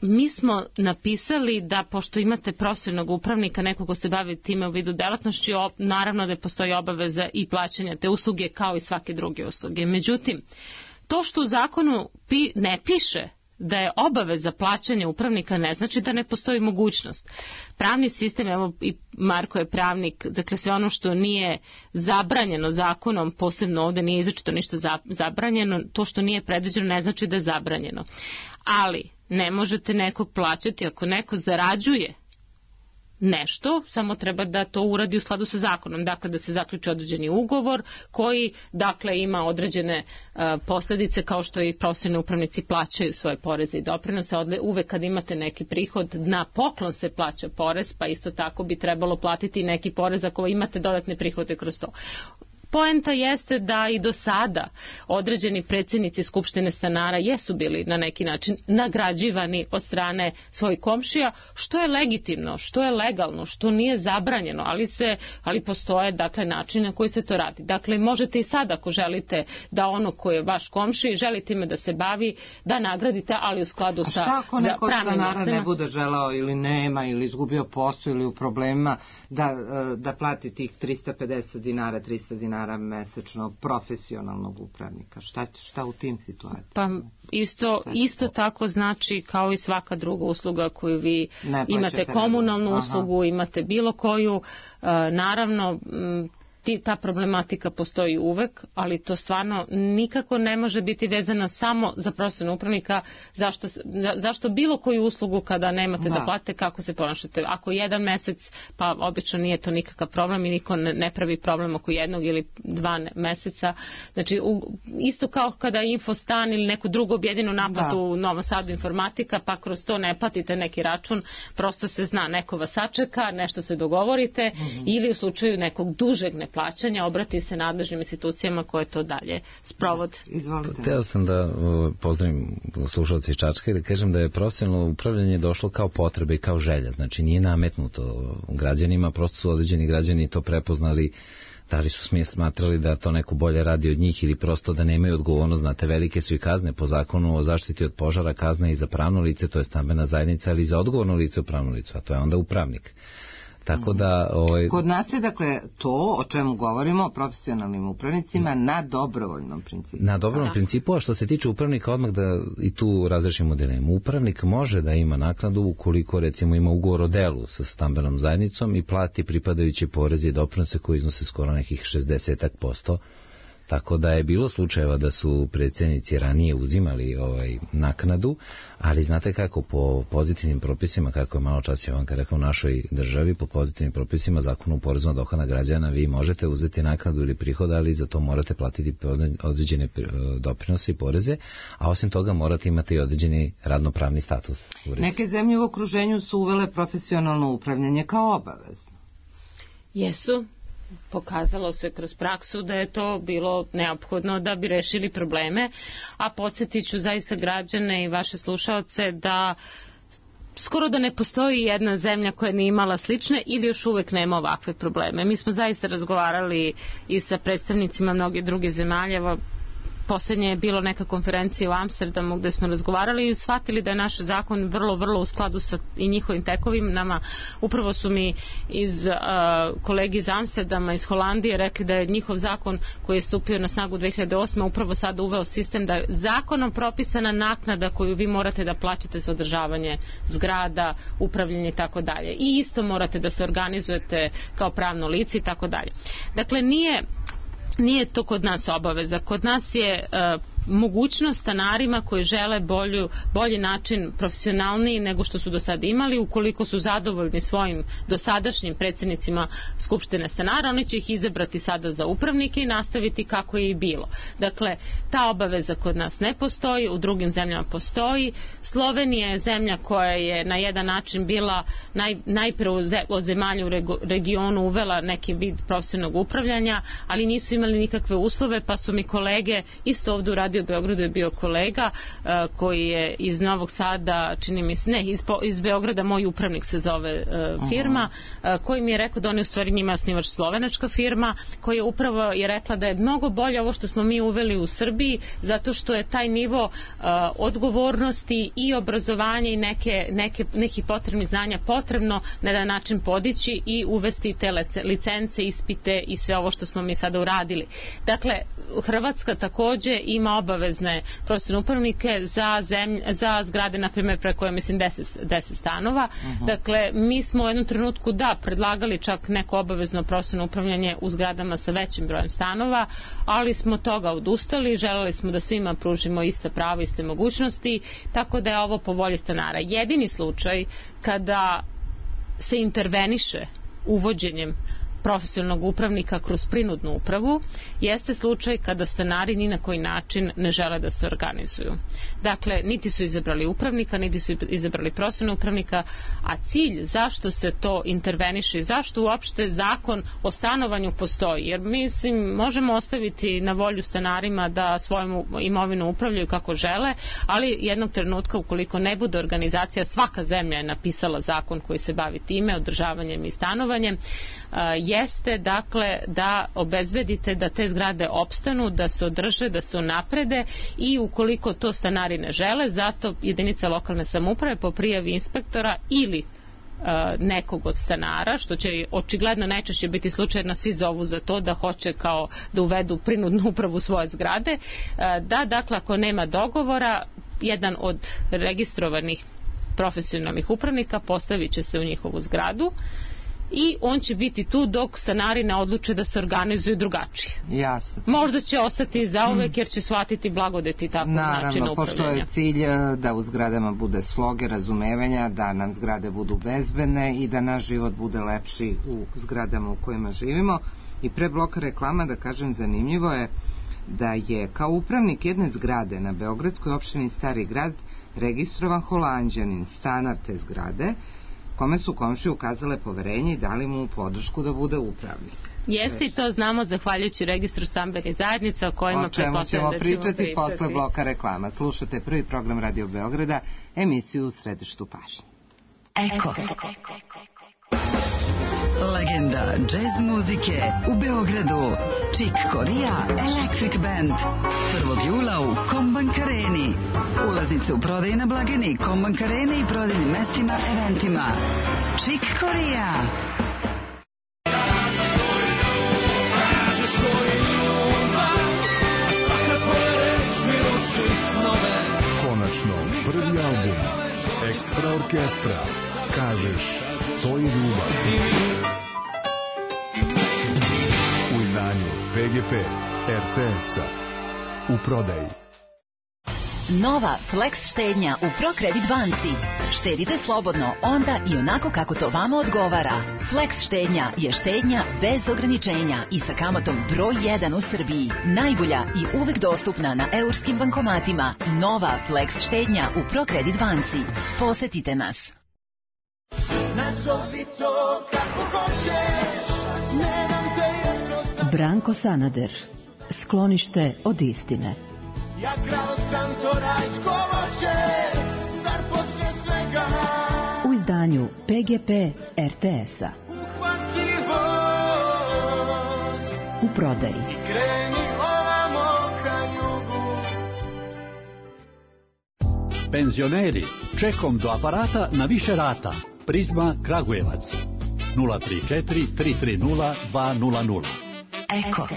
Speaker 3: mi smo napisali da pošto imate profesionalnog upravnika, nekog ko se bavi time u vidu delatnošću, naravno da postoji obaveza i plaćanja te usluge kao i svake druge usluge. Međutim, to što u zakonu pi, ne piše da je obaveza plaćanja upravnika ne znači da ne postoji mogućnost. Pravni sistem, evo i Marko je pravnik, dakle sve ono što nije zabranjeno zakonom, posebno ovdje nije izričito ništa zabranjeno, to što nije predviđeno ne znači da je zabranjeno. Ali ne možete nekog plaćati ako neko zarađuje nešto, samo treba da to uradi u skladu sa zakonom, dakle da se zaključi određeni ugovor koji dakle ima određene uh, posljedice kao što i profesionalni upravnici plaćaju svoje poreze i doprinose. Uvek kad imate neki prihod na poklon se plaća porez, pa isto tako bi trebalo platiti neki porez ako imate dodatne prihode kroz to. Poenta jeste da i do sada određeni predsjednici Skupštine stanara jesu bili na neki način nagrađivani od strane svojih komšija, što je legitimno, što je legalno, što nije zabranjeno, ali se, ali postoje dakle način na koji se to radi. Dakle, možete i sad ako želite da ono koje je vaš komšiji, želite ime da se bavi, da nagradite, ali u skladu sa pravnim.
Speaker 2: A šta ako neko stanara ne bude želao ili nema ili izgubio posao ili u problemima da, da plati tih trista pedeset dinara, trista dinara stanara mesečno profesionalnog upravnika? Šta, šta u tim situacijama?
Speaker 3: Pa isto, isto tako znači kao i svaka druga usluga koju vi imate, komunalnu ne... uslugu, imate bilo koju, naravno ta problematika postoji uvek, ali to stvarno nikako ne može biti vezana samo za profesionalnog upravnika. Zašto, zašto bilo koju uslugu kada nemate da, da platite, kako se ponašate? Ako jedan mesec, pa obično nije to nikakav problem i niko ne, ne pravi problem oko jednog ili dva meseca. Znači, u, isto kao kada Infostan ili neku drugu objedinu naplatu u Novom Sadu informatika, pa kroz to ne platite neki račun, prosto se zna, neko vas sačeka, nešto se dogovorite, mm-hmm. ili u slučaju nekog dužeg ne plaćanja obrati se nadležnim institucijama koje to dalje sprovode.
Speaker 2: Izvolite.
Speaker 4: Hteo sam da uh, pozdravim slušalce iz Čačka i da kažem da je profesionalno upravljanje došlo kao potreba i kao želja. Znači nije nametnuto građanima, prosto su određeni građani to prepoznali, da li su smije smatrali da to neko bolje radi od njih ili prosto da nemaju odgovornost. Znate, velike su i kazne po zakonu o zaštiti od požara, kazne i za pravno lice, to je stambena zajednica, ali i za odgovorno lice u pravno licu, a to je onda upravnik. Tako da, ovaj...
Speaker 2: Kod nas je dakle to o čemu govorimo o profesionalnim upravnicima na dobrovoljnom principu.
Speaker 4: Na dobrovoljnom principu, a što se tiče upravnika, odmah da i tu razrešimo dilemu. Upravnik može da ima naknadu ukoliko recimo ima ugovor o delu sa stambenom zajednicom i plati pripadajuće poreze i doprinose koji iznose skoro nekih šezdeset posto. Tako da je bilo slučajeva da su predsjednici ranije uzimali ovaj naknadu, ali znate kako, po pozitivnim propisima, kako je malo čas Jovanka rekao, u našoj državi, po pozitivnim propisima Zakonu o porezu na dohodak građana, vi možete uzeti naknadu ili prihod, ali za to morate platiti određene doprinose i poreze, a osim toga morate imati i određeni radnopravni status.
Speaker 2: Neke zemlje u okruženju su uvele profesionalno upravljanje kao obavezno.
Speaker 3: Jesu. Pokazalo se kroz praksu da je to bilo neophodno da bi rešili probleme, a podsjetit ću zaista građane i vaše slušaoce da skoro da ne postoji jedna zemlja koja nije imala slične ili još uvek nema ovakve probleme. Mi smo zaista razgovarali i sa predstavnicima mnogih drugih zemalja. Poslednje je bilo neka konferencija u Amsterdamu gde smo razgovarali i shvatili da je naš zakon vrlo, vrlo u skladu sa i njihovim tekovinama. Upravo su mi iz uh, kolegi iz Amsterdama, iz Holandije rekli da je njihov zakon koji je stupio na snagu dve hiljade osme upravo sada uveo sistem da je zakonom propisana naknada koju vi morate da plaćate za održavanje zgrada, upravljanje i tako dalje. I isto morate da se organizujete kao pravno lice i tako dalje. Dakle, nije Nije to kod nas obaveza. Kod nas je uh, mogućnost stanarima koji žele bolju, bolji način, profesionalniji nego što su do sada imali, ukoliko su zadovoljni svojim dosadašnjim predsjednicima Skupštine stanara, oni će ih izabrati sada za upravnike i nastaviti kako je i bilo. Dakle, ta obaveza kod nas ne postoji, u drugim zemljama postoji. Slovenija je zemlja koja je na jedan način bila naj, najpre od zemalja u regionu uvela neki vid profesionalnog upravljanja, ali nisu imali nikakve uslove, pa su mi kolege isto ovdje uradili u Beogradu je bio kolega uh, koji je iz Novog Sada, čini mi se, ne, iz, iz Beograda, moj upravnik se zove uh, firma, uh, koji mi je rekao da on je u stvari njima osnivač slovenačka firma, koja je upravo je rekla da je mnogo bolje ovo što smo mi uveli u Srbiji, zato što je taj nivo uh, odgovornosti i obrazovanja i neke, neke, nekih potrebnih znanja potrebno na jedan način podići i uvesti te licence, ispite i sve ovo što smo mi sada uradili. Dakle, Hrvatska takođe ima obavezne profesionalne upravnike za, zemlj, za zgrade, na primjer, preko, ja mislim, deset, deset stanova. Uh-huh. Dakle, mi smo u jednom trenutku, da, predlagali čak neko obavezno profesionalno upravljanje u zgradama sa većim brojem stanova, ali smo toga odustali, želeli smo da svima pružimo ista prava, iste mogućnosti, tako da je ovo po volji stanara. Jedini slučaj kada se interveniše uvođenjem profesionalnog upravnika kroz prinudnu upravu jeste slučaj kada stanari ni na koji način ne žele da se organizuju. Dakle, niti su izabrali upravnika, niti su izabrali profesionalnog upravnika, a cilj zašto se to interveniše i zašto uopšte zakon o stanovanju postoji, jer mislim možemo ostaviti na volju stanarima da svojom imovinom upravljaju kako žele, ali jednog trenutka ukoliko ne bude organizacija, svaka zemlja je napisala zakon koji se bavi time, održavanjem i stanovanjem, jeste dakle da obezbedite da te zgrade opstanu, da se održe, da se unaprede i ukoliko to stanari ne žele, zato jedinica lokalne samouprave po prijavi inspektora ili nekog od stanara, što će očigledno najčešće biti slučaj, na svi zovu za to da hoće kao da uvedu prinudnu upravu svoje zgrade, da dakle ako nema dogovora, jedan od registrovanih profesionalnih upravnika postavit će se u njihovu zgradu i on će biti tu dok stanari ne odluče da se organizuju drugačije.
Speaker 2: Jasno.
Speaker 3: Možda će ostati zauvek jer će shvatiti blagodeti takvog načina upravljanja.
Speaker 2: Naravno, pošto je cilj da u zgradama bude sloge, razumevanja, da nam zgrade budu bezbedne i da naš život bude lepši u zgradama u kojima živimo. I pre bloka reklama, da kažem, zanimljivo je da je kao upravnik jedne zgrade na beogradskoj opštini Stari Grad registrovan Holanđanin, stanar te zgrade, kome su komšije ukazale poverenje i dali mu podršku da bude upravnik.
Speaker 3: Jeste, i to znamo zahvaljujući registru stambenih zajednica o kojima pretpostavljam da ćemo pričati.
Speaker 2: O čemu ćemo pričati posle bloka reklama. Slušate prvi program Radio Beograda, emisiju U središtu pažnje.
Speaker 6: Eko. Legenda džez muzike u Beogradu. Chick Corea Electric Band. prvog jula u Kombank Areni. Ulaznice u prodaji na blagajni Kombank Arene i prodajnim mestima, eventima. Chick Corea.
Speaker 7: Konačno, prvi album Ekstra orkestra. Kažeš, to je ljubav. U izdanju P G P R T S-a. U prodaji.
Speaker 8: Nova Flex štednja u ProKredit banci. Štedite slobodno onda i onako kako to vama odgovara. Flex štednja je štednja bez ograničenja i sa kamatom broj jedan u Srbiji. Najbolja i uvek dostupna na eurskim bankomatima. Nova Flex štednja u ProKredit banci. Posetite nas.
Speaker 9: Nazovi to kako hoćeš, nemam te jednostavno.
Speaker 10: Branko Sanader, sklonište od istine.
Speaker 9: Ja krao sam to rajsko voće, zar posle svega
Speaker 10: u izdanju P G P R T S-a.
Speaker 9: Uhvati voz
Speaker 10: u prodaji
Speaker 9: i kreni ovamo ka jugu.
Speaker 11: Penzioneri, čekom do aparata na više rata. Prizma Kragujevac nula tri četiri tri tri nula dva nula nula.
Speaker 6: Eko.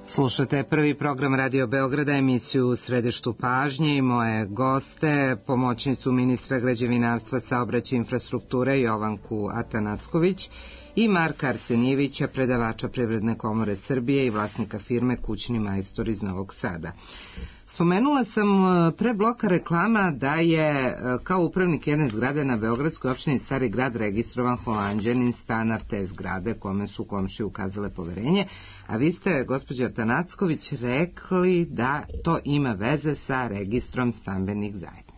Speaker 2: Slušate prvi program Radio Beograda, emisiju U središtu pažnje i moje goste, pomoćnicu ministra građevinarstva, saobraćaja i infrastrukture Jovanku Atanacković i Marka Arsenijevića, predavača Privredne komore Srbije i vlasnika firme Kućni majstor iz Novog Sada. Spomenula sam pre bloka reklama da je kao upravnik jedne zgrade na beogradskoj opštini Stari Grad registrovan Holanđanin, stanar te zgrade kome su komšije ukazale poverenje, a vi ste, gospođo Atanacković, rekli da to ima veze sa registrom stambenih zajednica.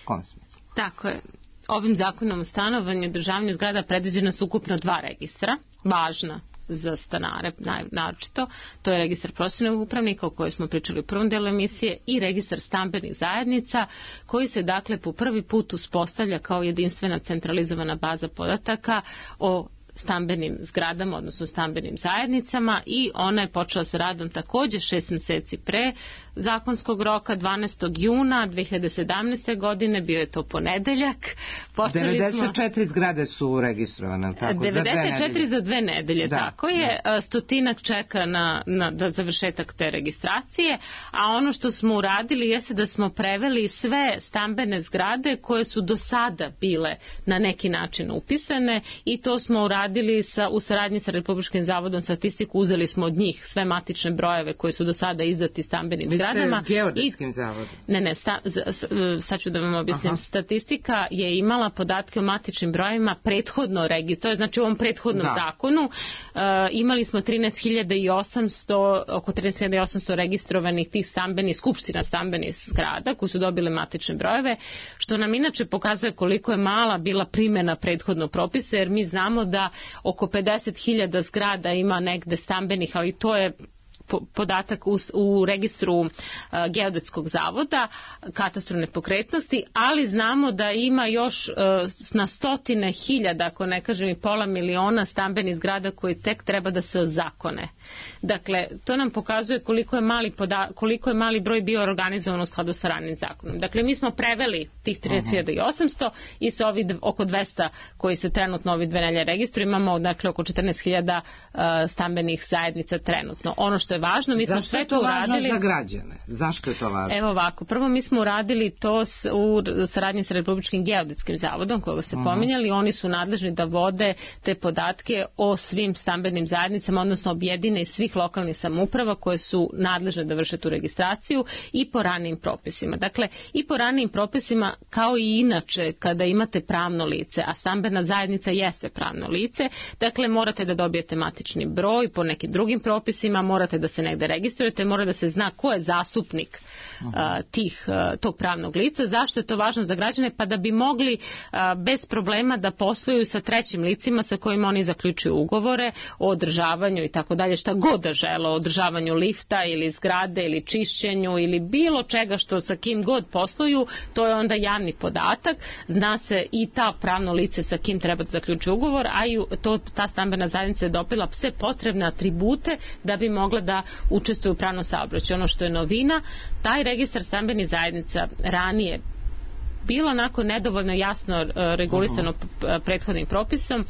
Speaker 2: Kom smislu?
Speaker 3: Tako je. Ovim zakonom o stanovanju i održavanju zgrada predviđena su ukupno dva registra, važna za stanare naročito. To je registar profesionalnih upravnika o kojoj smo pričali u prvom delu emisije i registar stambenih zajednica koji se dakle po prvi put uspostavlja kao jedinstvena centralizovana baza podataka o stambenim zgradama, odnosno stambenim zajednicama, i ona je počela sa radom također šest mjeseci pre zakonskog roka, dvanaestog juna dve hiljade sedamnaeste. godine, bio je to ponedeljak.
Speaker 2: Počeli devedeset četiri smo... zgrade su registrovane, tako,
Speaker 3: devedeset četiri
Speaker 2: za
Speaker 3: dve nedelje,
Speaker 2: da,
Speaker 3: tako je, da. Stotinak čeka na, na da završetak te registracije, a ono što smo uradili jeste da smo preveli sve stambene zgrade koje su do sada bile na neki način upisane, i to smo uradili sa, u saradnji sa Republičkim zavodom statistiku, uzeli smo od njih sve matične brojeve koje su do sada izdati stambenim zgradama.
Speaker 2: Geodetskim zavodom.
Speaker 3: Ne, ne, sta, sad ću da vam objasnim. Aha. Statistika je imala podatke o matičnim brojevima prethodno regi, to je znači u ovom prethodnom da. zakonu. Uh, imali smo trinaest hiljada osamsto, oko trinaest hiljada osamsto registrovanih tih stambenih, skupština stambenih zgrada koji su dobile matične brojeve, što nam inače pokazuje koliko je mala bila primjena prethodnog propisa, jer mi znamo da oko pedeset hiljada zgrada ima negde stambenih, ali to je podatak u, u registru uh, Geodetskog zavoda, katastru nepokretnosti, ali znamo da ima još uh, na stotine hiljada, ako ne kažem i pola miliona stambenih zgrada koji tek treba da se ozakone. Dakle, to nam pokazuje koliko je mali, poda, koliko je mali broj bio organizovan u skladu sa ranim zakonom. Dakle, mi smo preveli tih trinaest hiljada osamsto i sa ovih oko dvesta koji se trenutno ovi dve nelje registruju, imamo dakle oko četrnaest hiljada uh, stambenih zajednica trenutno. Ono što je važno, mi smo
Speaker 2: Zašto
Speaker 3: sve to uradili.
Speaker 2: Zašto je to važno za građane? Zašto je to važno?
Speaker 3: Evo ovako, prvo mi smo uradili to s, u saradnji sa Republičkim geodetskim zavodom, koga ste uh-huh. pominjali. Oni su nadležni da vode te podatke o svim stambenim zajednicama, odnosno objedine iz svih lokalnih samouprava koje su nadležne da vrše tu registraciju, i po ranijim propisima. Dakle, i po ranijim propisima kao i inače kada imate pravno lice, a stambena zajednica jeste pravno lice, dakle morate da dobijete matični broj po nekim drugim propisima, morate da se negde registrujete, mora da se zna ko je zastupnik uh, tih, uh, tog pravnog lica. Zašto je to važno za građane? Pa da bi mogli uh, bez problema da posluju sa trećim licima sa kojima oni zaključuju ugovore o održavanju i tako dalje, šta god da žele, o održavanju lifta ili zgrade ili čišćenju ili bilo čega što sa kim god posluju, to je onda javni podatak, zna se i ta pravno lice sa kim treba da zaključuje ugovor, a i to, ta stambena zajednica je dobila sve potrebne atribute da bi mogla da učestvuju u pravnom saobraćaju. Ono što je novina, taj registar stambenih zajednica ranije bilo onako nedovoljno jasno regulisano uh-huh. prethodnim propisom,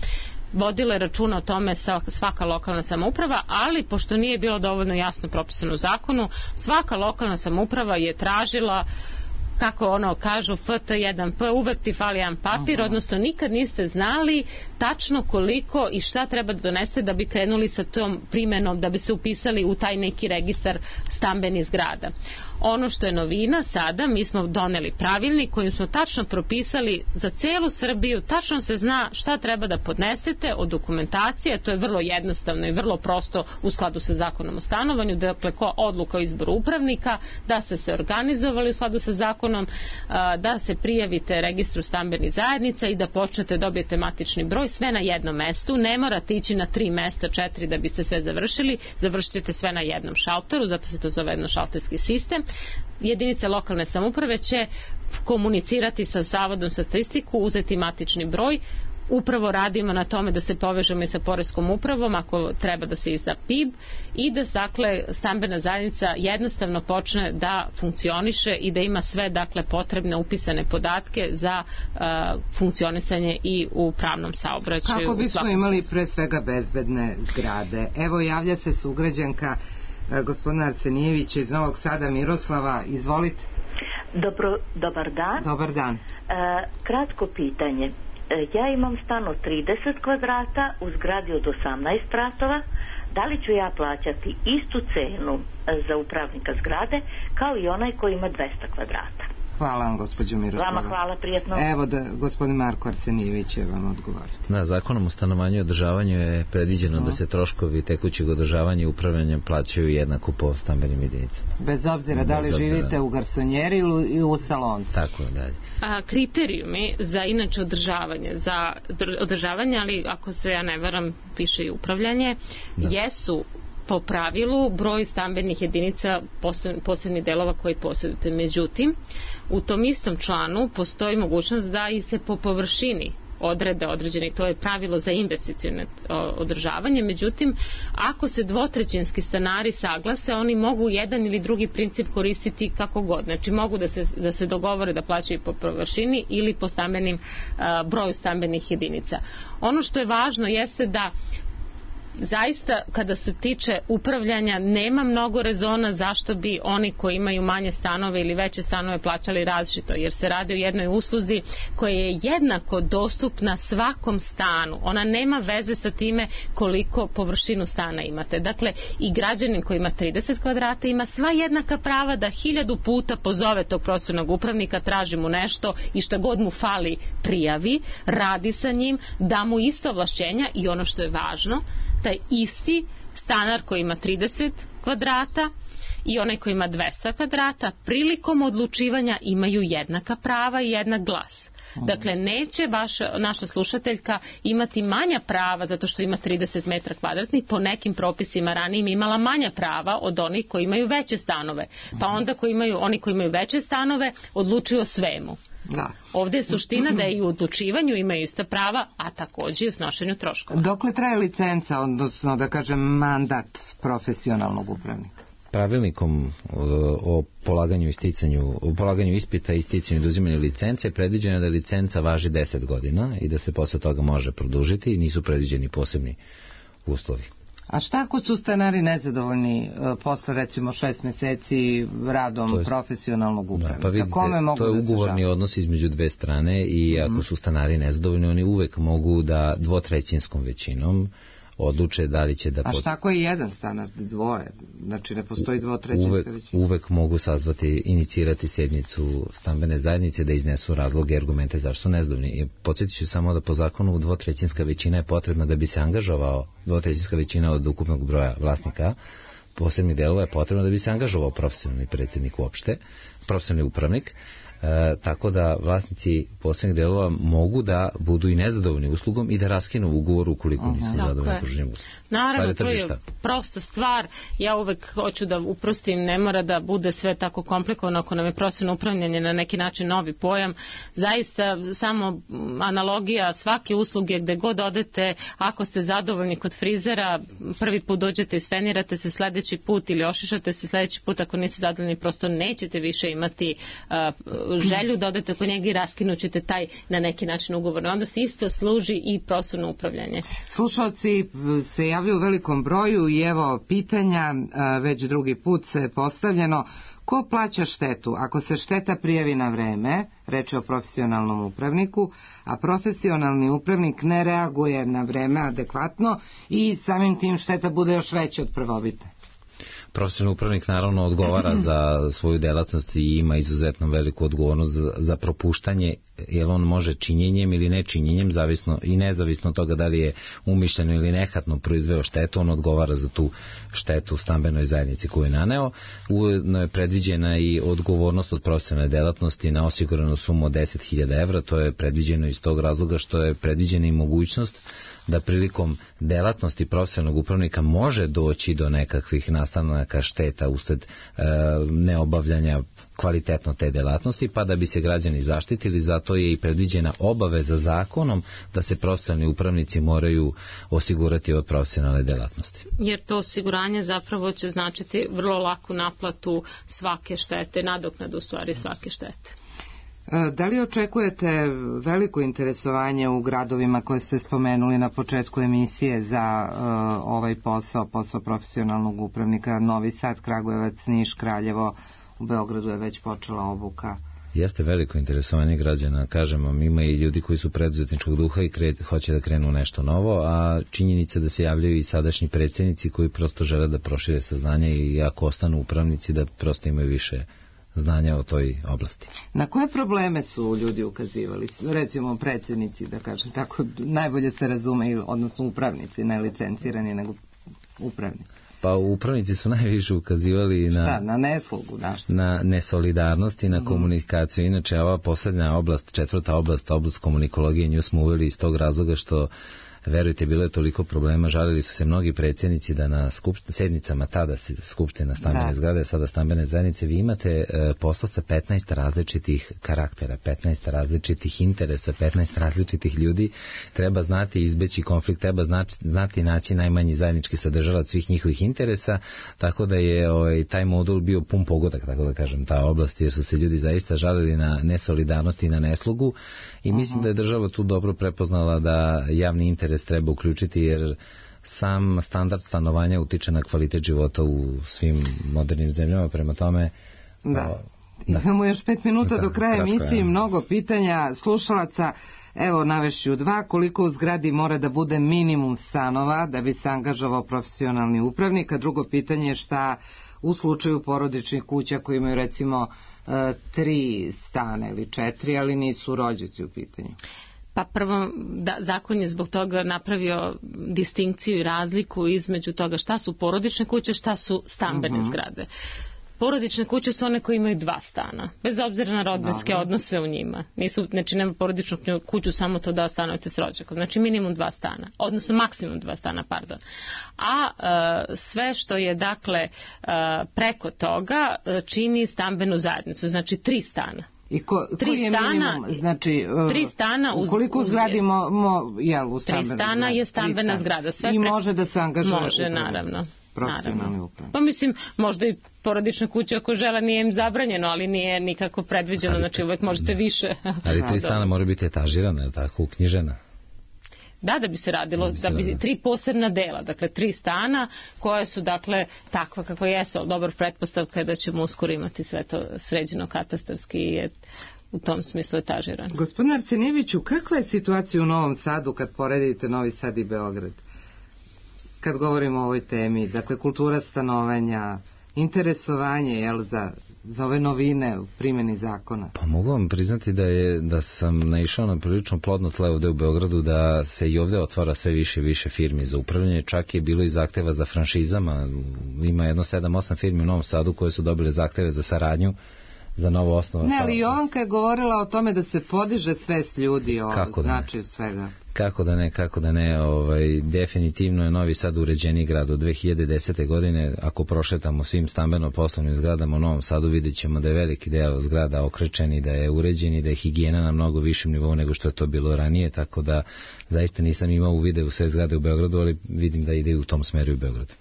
Speaker 3: vodila je računa o tome svaka lokalna samouprava, ali pošto nije bilo dovoljno jasno propisano u zakonu, svaka lokalna samouprava je tražila, kako ono kažu, F T jedan P, uvek ti fali jedan papir, uh-huh. odnosno nikad niste znali tačno koliko i šta treba da doneste da bi krenuli sa tom primjenom, da bi se upisali u taj neki registar stambenih zgrada. Ono što je novina sada, mi smo doneli pravilnik kojim smo tačno propisali za celu Srbiju, tačno se zna šta treba da podnesete od dokumentacije, to je vrlo jednostavno i vrlo prosto u skladu sa zakonom o stanovanju, dakle odluka o izboru upravnika, da ste se organizovali u skladu sa zakonom, da se prijavite registru stambenih zajednica i da počnete, dobijete matični broj, sve na jednom mestu, ne morate ići na tri mesta, četiri da biste sve završili, završit ćete sve na jednom šalteru, zato se to zove jednošalterski sistem. Jedinice lokalne samouprave će komunicirati sa Zavodom za statistiku, uzeti matični broj. Upravo radimo na tome da se povežemo i sa poreskom upravom ako treba da se izda P I B i da dakle stambena zajednica jednostavno počne da funkcioniše i da ima sve dakle potrebne upisane podatke za uh, funkcionisanje i u pravnom saobraćaju.
Speaker 2: Kako bismo imali pre svega bezbedne zgrade? Evo javlja se sugrađanka gospodina Arsenijevića iz Novog Sada, Miroslava, izvolite.
Speaker 12: Dobro, dobar dan.
Speaker 2: Dobar dan.
Speaker 12: E, kratko pitanje. E, ja imam stan od trideset kvadrata u zgradi od osamnaest spratova. Da li ću ja plaćati istu cenu za upravnika zgrade kao i onaj koji ima dvesta kvadrata?
Speaker 2: Hvala vam, gospođo Miroslava.
Speaker 12: Vama hvala, prijetno.
Speaker 2: Evo da gospodin Marko Arsenijević će vam odgovoriti.
Speaker 4: Da, zakonom o stanovanju i održavanju je predviđeno no. da se troškovi tekućeg održavanja i upravljanja plaćaju jednako po stambenim jedinicama.
Speaker 2: Bez obzira da li Bez živite obzira. u garsonjeri ili u saloncu.
Speaker 4: Tako je, dalje.
Speaker 3: A, kriterijumi za inače održavanje, za održavanje, ali ako se ja ne varam, piše i upravljanje, da. jesu po pravilu broj stambenih jedinica posebnih delova koji posjedujete. Međutim, u tom istom članu postoji mogućnost da i se po površini odrede određeni, to je pravilo za investicione održavanje. Međutim, ako se dvotrećinski stanari saglase, oni mogu jedan ili drugi princip koristiti kako god. Znači, mogu da se, da se dogovore da plaćaju po površini ili po stambenim, uh, broju stambenih jedinica. Ono što je važno jeste da zaista kada se tiče upravljanja nema mnogo rezona zašto bi oni koji imaju manje stanove ili veće stanove plaćali različito, jer se radi o jednoj usluzi koja je jednako dostupna svakom stanu. Ona nema veze sa time koliko površinu stana imate. Dakle, i građanin koji ima trideset kvadrata ima sva jednaka prava da hiljadu puta pozove tog profesionalnog upravnika, traži mu nešto i šta god mu fali prijavi, radi sa njim, da mu ista ovlašćenja i ono što je važno, taj isti stanar koji ima trideset kvadrata i onaj koji ima dvesta kvadrata prilikom odlučivanja imaju jednaka prava i jednak glas. Dakle, neće vaša, naša slušateljka imati manja prava zato što ima trideset metara kvadratnih, po nekim propisima ranijim imala manja prava od onih koji imaju veće stanove. Pa onda koji imaju, oni koji imaju veće stanove odlučuju o svemu. Da. Ovdje je suština da i u odlučivanju imaju ista prava, a također i u snošenju troškova.
Speaker 2: Dokle traje licenca, odnosno da kažem mandat profesionalnog upravnika?
Speaker 4: Pravilnikom o polaganju, isticanju, o polaganju ispita i isticanju i oduzimanju licence predviđeno je da licenca važi deset godina i da se posle toga može produžiti i nisu predviđeni posebni uslovi.
Speaker 2: A šta ako su stanari nezadovoljni posle recimo šest meseci radom je, profesionalnog upravnika?
Speaker 4: Da, pa vidite, kome mogu to je da ugovorni odnos između dve strane i ako su stanari nezadovoljni, oni uvek mogu da dvotrećinskom većinom odluče da li će da...
Speaker 2: A šta ako je jedan stanar, dvoje? Znači ne postoji dvotrećinska većina?
Speaker 4: Uvek mogu sazvati, inicirati sednicu stambene zajednice da iznesu razloge i argumente zašto su nezadovoljni. Podsjetit ću samo da po zakonu dvotrećinska većina je potrebna da bi se angažovao, dvotrećinska većina od ukupnog broja vlasnika posebnih delova je potrebno da bi se angažovao profesionalni predsjednik uopšte, profesionalni upravnik. E, tako da vlasnici posebnih delova mogu da budu i nezadovoljni uslugom i da raskinu ugovor ukoliko nisu zadovoljni pruženim uslugom.
Speaker 3: Naravno, to je prosta stvar. Ja uvek hoću da uprostim, ne mora da bude sve tako komplikovano ako nam je profesionalno upravljanje na neki način novi pojam. Zaista samo analogija svake usluge gde god odete, ako ste zadovoljni kod frizera, prvi put dođete i sfenirate se, sledeći put ili ošišate se, sledeći put ako niste zadovoljni prosto nećete više imati uh, želju da odete kod njega i raskinućete taj na neki način ugovor. Onda se isto služi i profesionalno upravljanje.
Speaker 2: Slušalci se javljaju u velikom broju i evo pitanja, već drugi put se postavljeno. Ko plaća štetu ako se šteta prijavi na vreme, reč je o profesionalnom upravniku, a profesionalni upravnik ne reaguje na vreme adekvatno i samim tim šteta bude još veća od prvobitne?
Speaker 4: Profesionalni upravnik naravno odgovara za svoju delatnost i ima izuzetno veliku odgovornost za, za propuštanje, jer on može činjenjem ili nečinjenjem, zavisno i nezavisno od toga da li je umišljeno ili nehatno proizveo štetu, on odgovara za tu štetu u stambenoj zajednici koju je naneo. Ujedno je predviđena i odgovornost od profesionalne delatnosti na osiguranu sumu od deset hiljada evra, to je predviđeno iz tog razloga što je predviđena i mogućnost da prilikom delatnosti profesionalnog upravnika može doći do nekakvih nastanaka šteta usled e, neobavljanja kvalitetno te delatnosti, pa da bi se građani zaštitili, zato je i predviđena obaveza zakonom da se profesionalni upravnici moraju osigurati od profesionalne delatnosti.
Speaker 3: Jer to osiguranje zapravo će značiti vrlo laku naplatu svake štete, nadoknadu u stvari svake štete.
Speaker 2: Da li očekujete veliko interesovanje u gradovima koje ste spomenuli na početku emisije za uh, ovaj posao, posao profesionalnog upravnika? Novi Sad, Kragujevac, Niš, Kraljevo, u Beogradu je već počela obuka.
Speaker 4: Jeste veliko interesovanje građana, kažem vam, ima i ljudi koji su preduzetničkog duha i kre, hoće da krenu nešto novo, a činjenica da se javljaju i sadašnji predsjednici koji prosto žele da prošire saznanje i ako ostanu upravnici da prosto imaju više znanja o toj oblasti.
Speaker 2: Na koje probleme su ljudi ukazivali? Recimo predsjednici, da kažem tako, najbolje se razume, odnosno upravnici, ne licencirani, nego upravnici.
Speaker 4: Pa upravnici su najviše ukazivali na,
Speaker 2: Šta, na neslogu, da što?
Speaker 4: Na nesolidarnost i na mm. komunikaciju. Inače, ova poslednja oblast, četvrta oblast, oblast komunikologije, nju smo uveli iz tog razloga što, verujte, bilo je toliko problema, žalili su se mnogi predsjednici da na skupšt, sednicama tada se skupština stambene da. zgrade, sada stambene zajednice, vi imate e, posla sa petnaest različitih karaktera, petnaest različitih interesa, petnaest različitih ljudi, treba znati izbeći konflikt, treba znati, znati naći najmanji zajednički sadržalac svih njihovih interesa, tako da je ovaj, taj modul bio pun pogodak, tako da kažem, ta oblast, jer su se ljudi zaista žalili na nesolidarnost i na neslogu i uh-huh. mislim da je država tu dobro prepoznala da javni interes treba uključiti, jer sam standard stanovanja utiče na kvalitet života u svim modernim zemljama, prema tome...
Speaker 2: Da. O, da. Imamo još pet minuta da, do kraja emisije, je. Mnogo pitanja slušalaca. Evo, navešću dva. Koliko u zgradi mora da bude minimum stanova da bi se angažovao profesionalni upravnik? A drugo pitanje je šta u slučaju porodičnih kuća koji imaju recimo tri stana ili četiri, ali nisu rođaci u pitanju?
Speaker 3: Pa prvo, da, zakon je zbog toga napravio distinkciju i razliku između toga šta su porodične kuće, šta su stambene uh-huh. zgrade. Porodične kuće su one koje imaju dva stana, bez obzira na rodbinske Dobre. odnose u njima. Nisu, znači nema porodičnu kuću samo to da stanujete s rođakom, znači minimum dva stana, odnosno maksimum dva stana, pardon. A e, sve što je dakle e, preko toga e, čini stambenu zajednicu, znači tri stana.
Speaker 2: I ko, tri koji je stana, minimum, znači,
Speaker 3: tri stana uz,
Speaker 2: koliko
Speaker 3: uz,
Speaker 2: zgradimo mo, jel, u
Speaker 3: tri stana je stambena zgrada. Sve
Speaker 2: I
Speaker 3: pre...
Speaker 2: može da se angažuje
Speaker 3: može,
Speaker 2: upravno.
Speaker 3: naravno.
Speaker 2: Profesionalni upravno.
Speaker 3: Pa mislim, možda i porodična kuća ako žele nije im zabranjeno, ali nije nikako predviđeno, znači uvek možete više.
Speaker 4: Ali tri stana mora biti etažirana, tako, uknjižena.
Speaker 3: Da, da bi se radilo, da bi tri posebna dela, dakle tri stana koje su dakle takva kakva jesu, ali dobar pretpostavka je da ćemo uskoro imati sve to sređeno katastarski i je u tom smislu etažirano.
Speaker 2: Gospodine Arsenijeviću, kakva je situacija u Novom Sadu kad poredite Novi Sad i Beograd? Kad govorimo o ovoj temi, dakle kultura stanovanja, interesovanje jel, za, za ove novine u primjeni zakona?
Speaker 4: Pa mogu vam priznati da je da sam naišao na prilično plodno tle ovde u Beogradu, da se i ovde otvara sve više i više firmi za upravljanje, čak je bilo i zahteva za franšizama, ima jedno sedam osam firmi u Novom Sadu koje su dobile zahteve za saradnju za novo osnovu.
Speaker 2: Ne, ali Jovanka je govorila o tome da se podiže svest ljudi o značaju svega.
Speaker 4: Kako da ne, kako da ne, ovaj, definitivno je Novi Sad uređeni grad od dve hiljade desete. godine, ako prošetamo svim stambeno-poslovnim zgradama u Novom Sadu, vidjet ćemo da je veliki deo zgrada okrečen i da je uređen i da je higijena na mnogo višem nivou nego što je to bilo ranije, tako da zaista nisam imao uvide u sve zgrade u Beogradu, ali vidim da ide u tom smeru u Beogradu.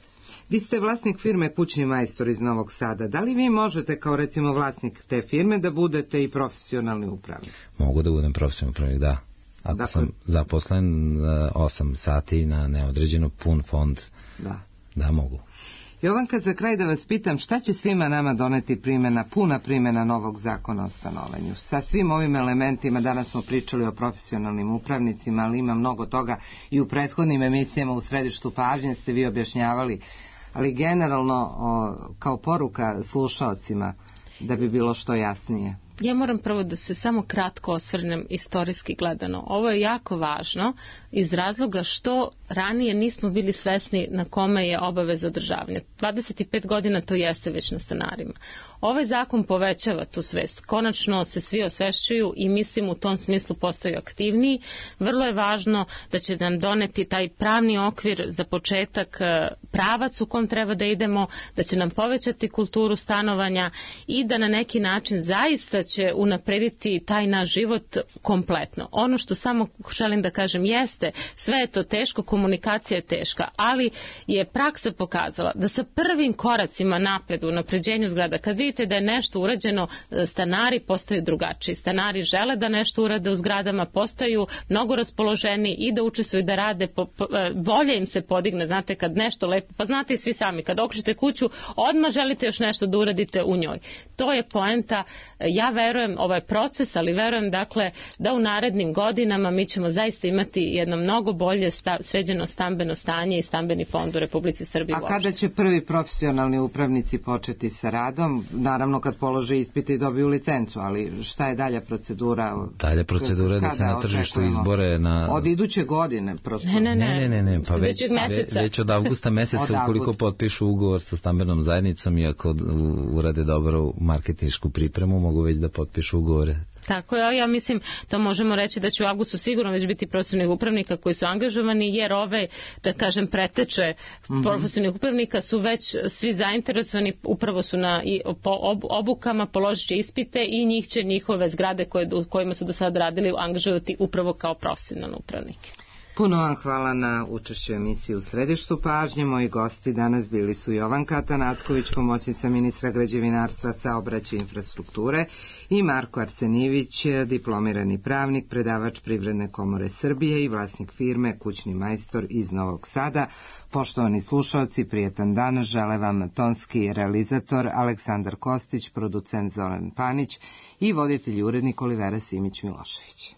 Speaker 2: Vi ste vlasnik firme Kućni majstor iz Novog Sada. Da li vi možete kao recimo vlasnik te firme da budete i profesionalni upravnik?
Speaker 4: Mogu da budem profesionalni upravnik, da. Ako dakle, sam zaposlen osam sati na neodređeno pun fond, da, da mogu.
Speaker 2: Jovanka, za kraj da vas pitam, šta će svima nama doneti primjena, puna primjena novog zakona o stanovanju? Sa svim ovim elementima, danas smo pričali o profesionalnim upravnicima, ali ima mnogo toga i u prethodnim emisijama u središtu pažnje ste vi objašnjavali, ali generalno o, kao poruka slušaocima da bi bilo što jasnije.
Speaker 3: Ja moram prvo da se samo kratko osvrnem istorijski gledano. Ovo je jako važno iz razloga što ranije nismo bili svesni na kome je obaveza održavanja. dvadeset pet godina to jeste već na stanarima. Ovaj zakon povećava tu svest. Konačno se svi osvešćuju i mislim u tom smislu postaju aktivniji. Vrlo je važno da će nam doneti taj pravni okvir za početak, pravac u kom treba da idemo, da će nam povećati kulturu stanovanja i da na neki način zaista će unaprediti taj naš život kompletno. Ono što samo želim da kažem jeste, sve je to teško, komunikacija je teška, ali je praksa pokazala da sa prvim koracima napred u napređenju zgrada, kad vidite da je nešto urađeno, stanari postaju drugačiji. Stanari žele da nešto urade u zgradama, postaju mnogo raspoloženi i da učestvuju da rade, po, po, volja im se podigne, znate, kad nešto lepo, pa znate i svi sami, kad okrećete kuću, odmah želite još nešto da uradite u njoj. To je poenta, javni verujem, ovo je proces, ali verujem dakle da u narednim godinama mi ćemo zaista imati jedno mnogo bolje sta, sređeno stambeno stanje i stambeni fond u Republici Srbiji.
Speaker 2: A uopšte. Kada će prvi profesionalni upravnici početi sa radom? Naravno kad polože ispite i dobiju licencu, ali šta je dalja procedura?
Speaker 4: Dalja procedura je da se na tržištu izbore na...
Speaker 2: Od iduće godine prosto?
Speaker 3: Ne, ne, ne,
Speaker 4: ne, ne, ne. Pa već, već, već od avgusta meseca ukoliko potpišu ugovor sa stambenom zajednicom i ako urade dobro marketinšku pripremu, mogu već da potpišu ugovore.
Speaker 3: Tako je, ja mislim, to možemo reći da će u avgustu sigurno već biti profesionalnih upravnika koji su angažovani, jer ove, da kažem, preteče mm-hmm. profesionalnih upravnika su već svi zainteresovani, upravo su na po obukama, položit će ispite i njih će njihove zgrade koje, u kojima su do sada radili angažovati upravo kao profesionalne upravnike.
Speaker 2: Puno vam hvala na učešću emisiji U središtu pažnje. Moji gosti danas bili su Jovanka Atanacković, pomoćnica ministra građevinarstva, saobraćaja i infrastrukture, i Marko Arsenijević, diplomirani pravnik, predavač Privredne komore Srbije i vlasnik firme Kućni majstor iz Novog Sada. Poštovani slušalci, prijetan dan žele vam tonski realizator Aleksandar Kostić, producent Zoran Panić i voditelj urednik Olivera Simić Milošević.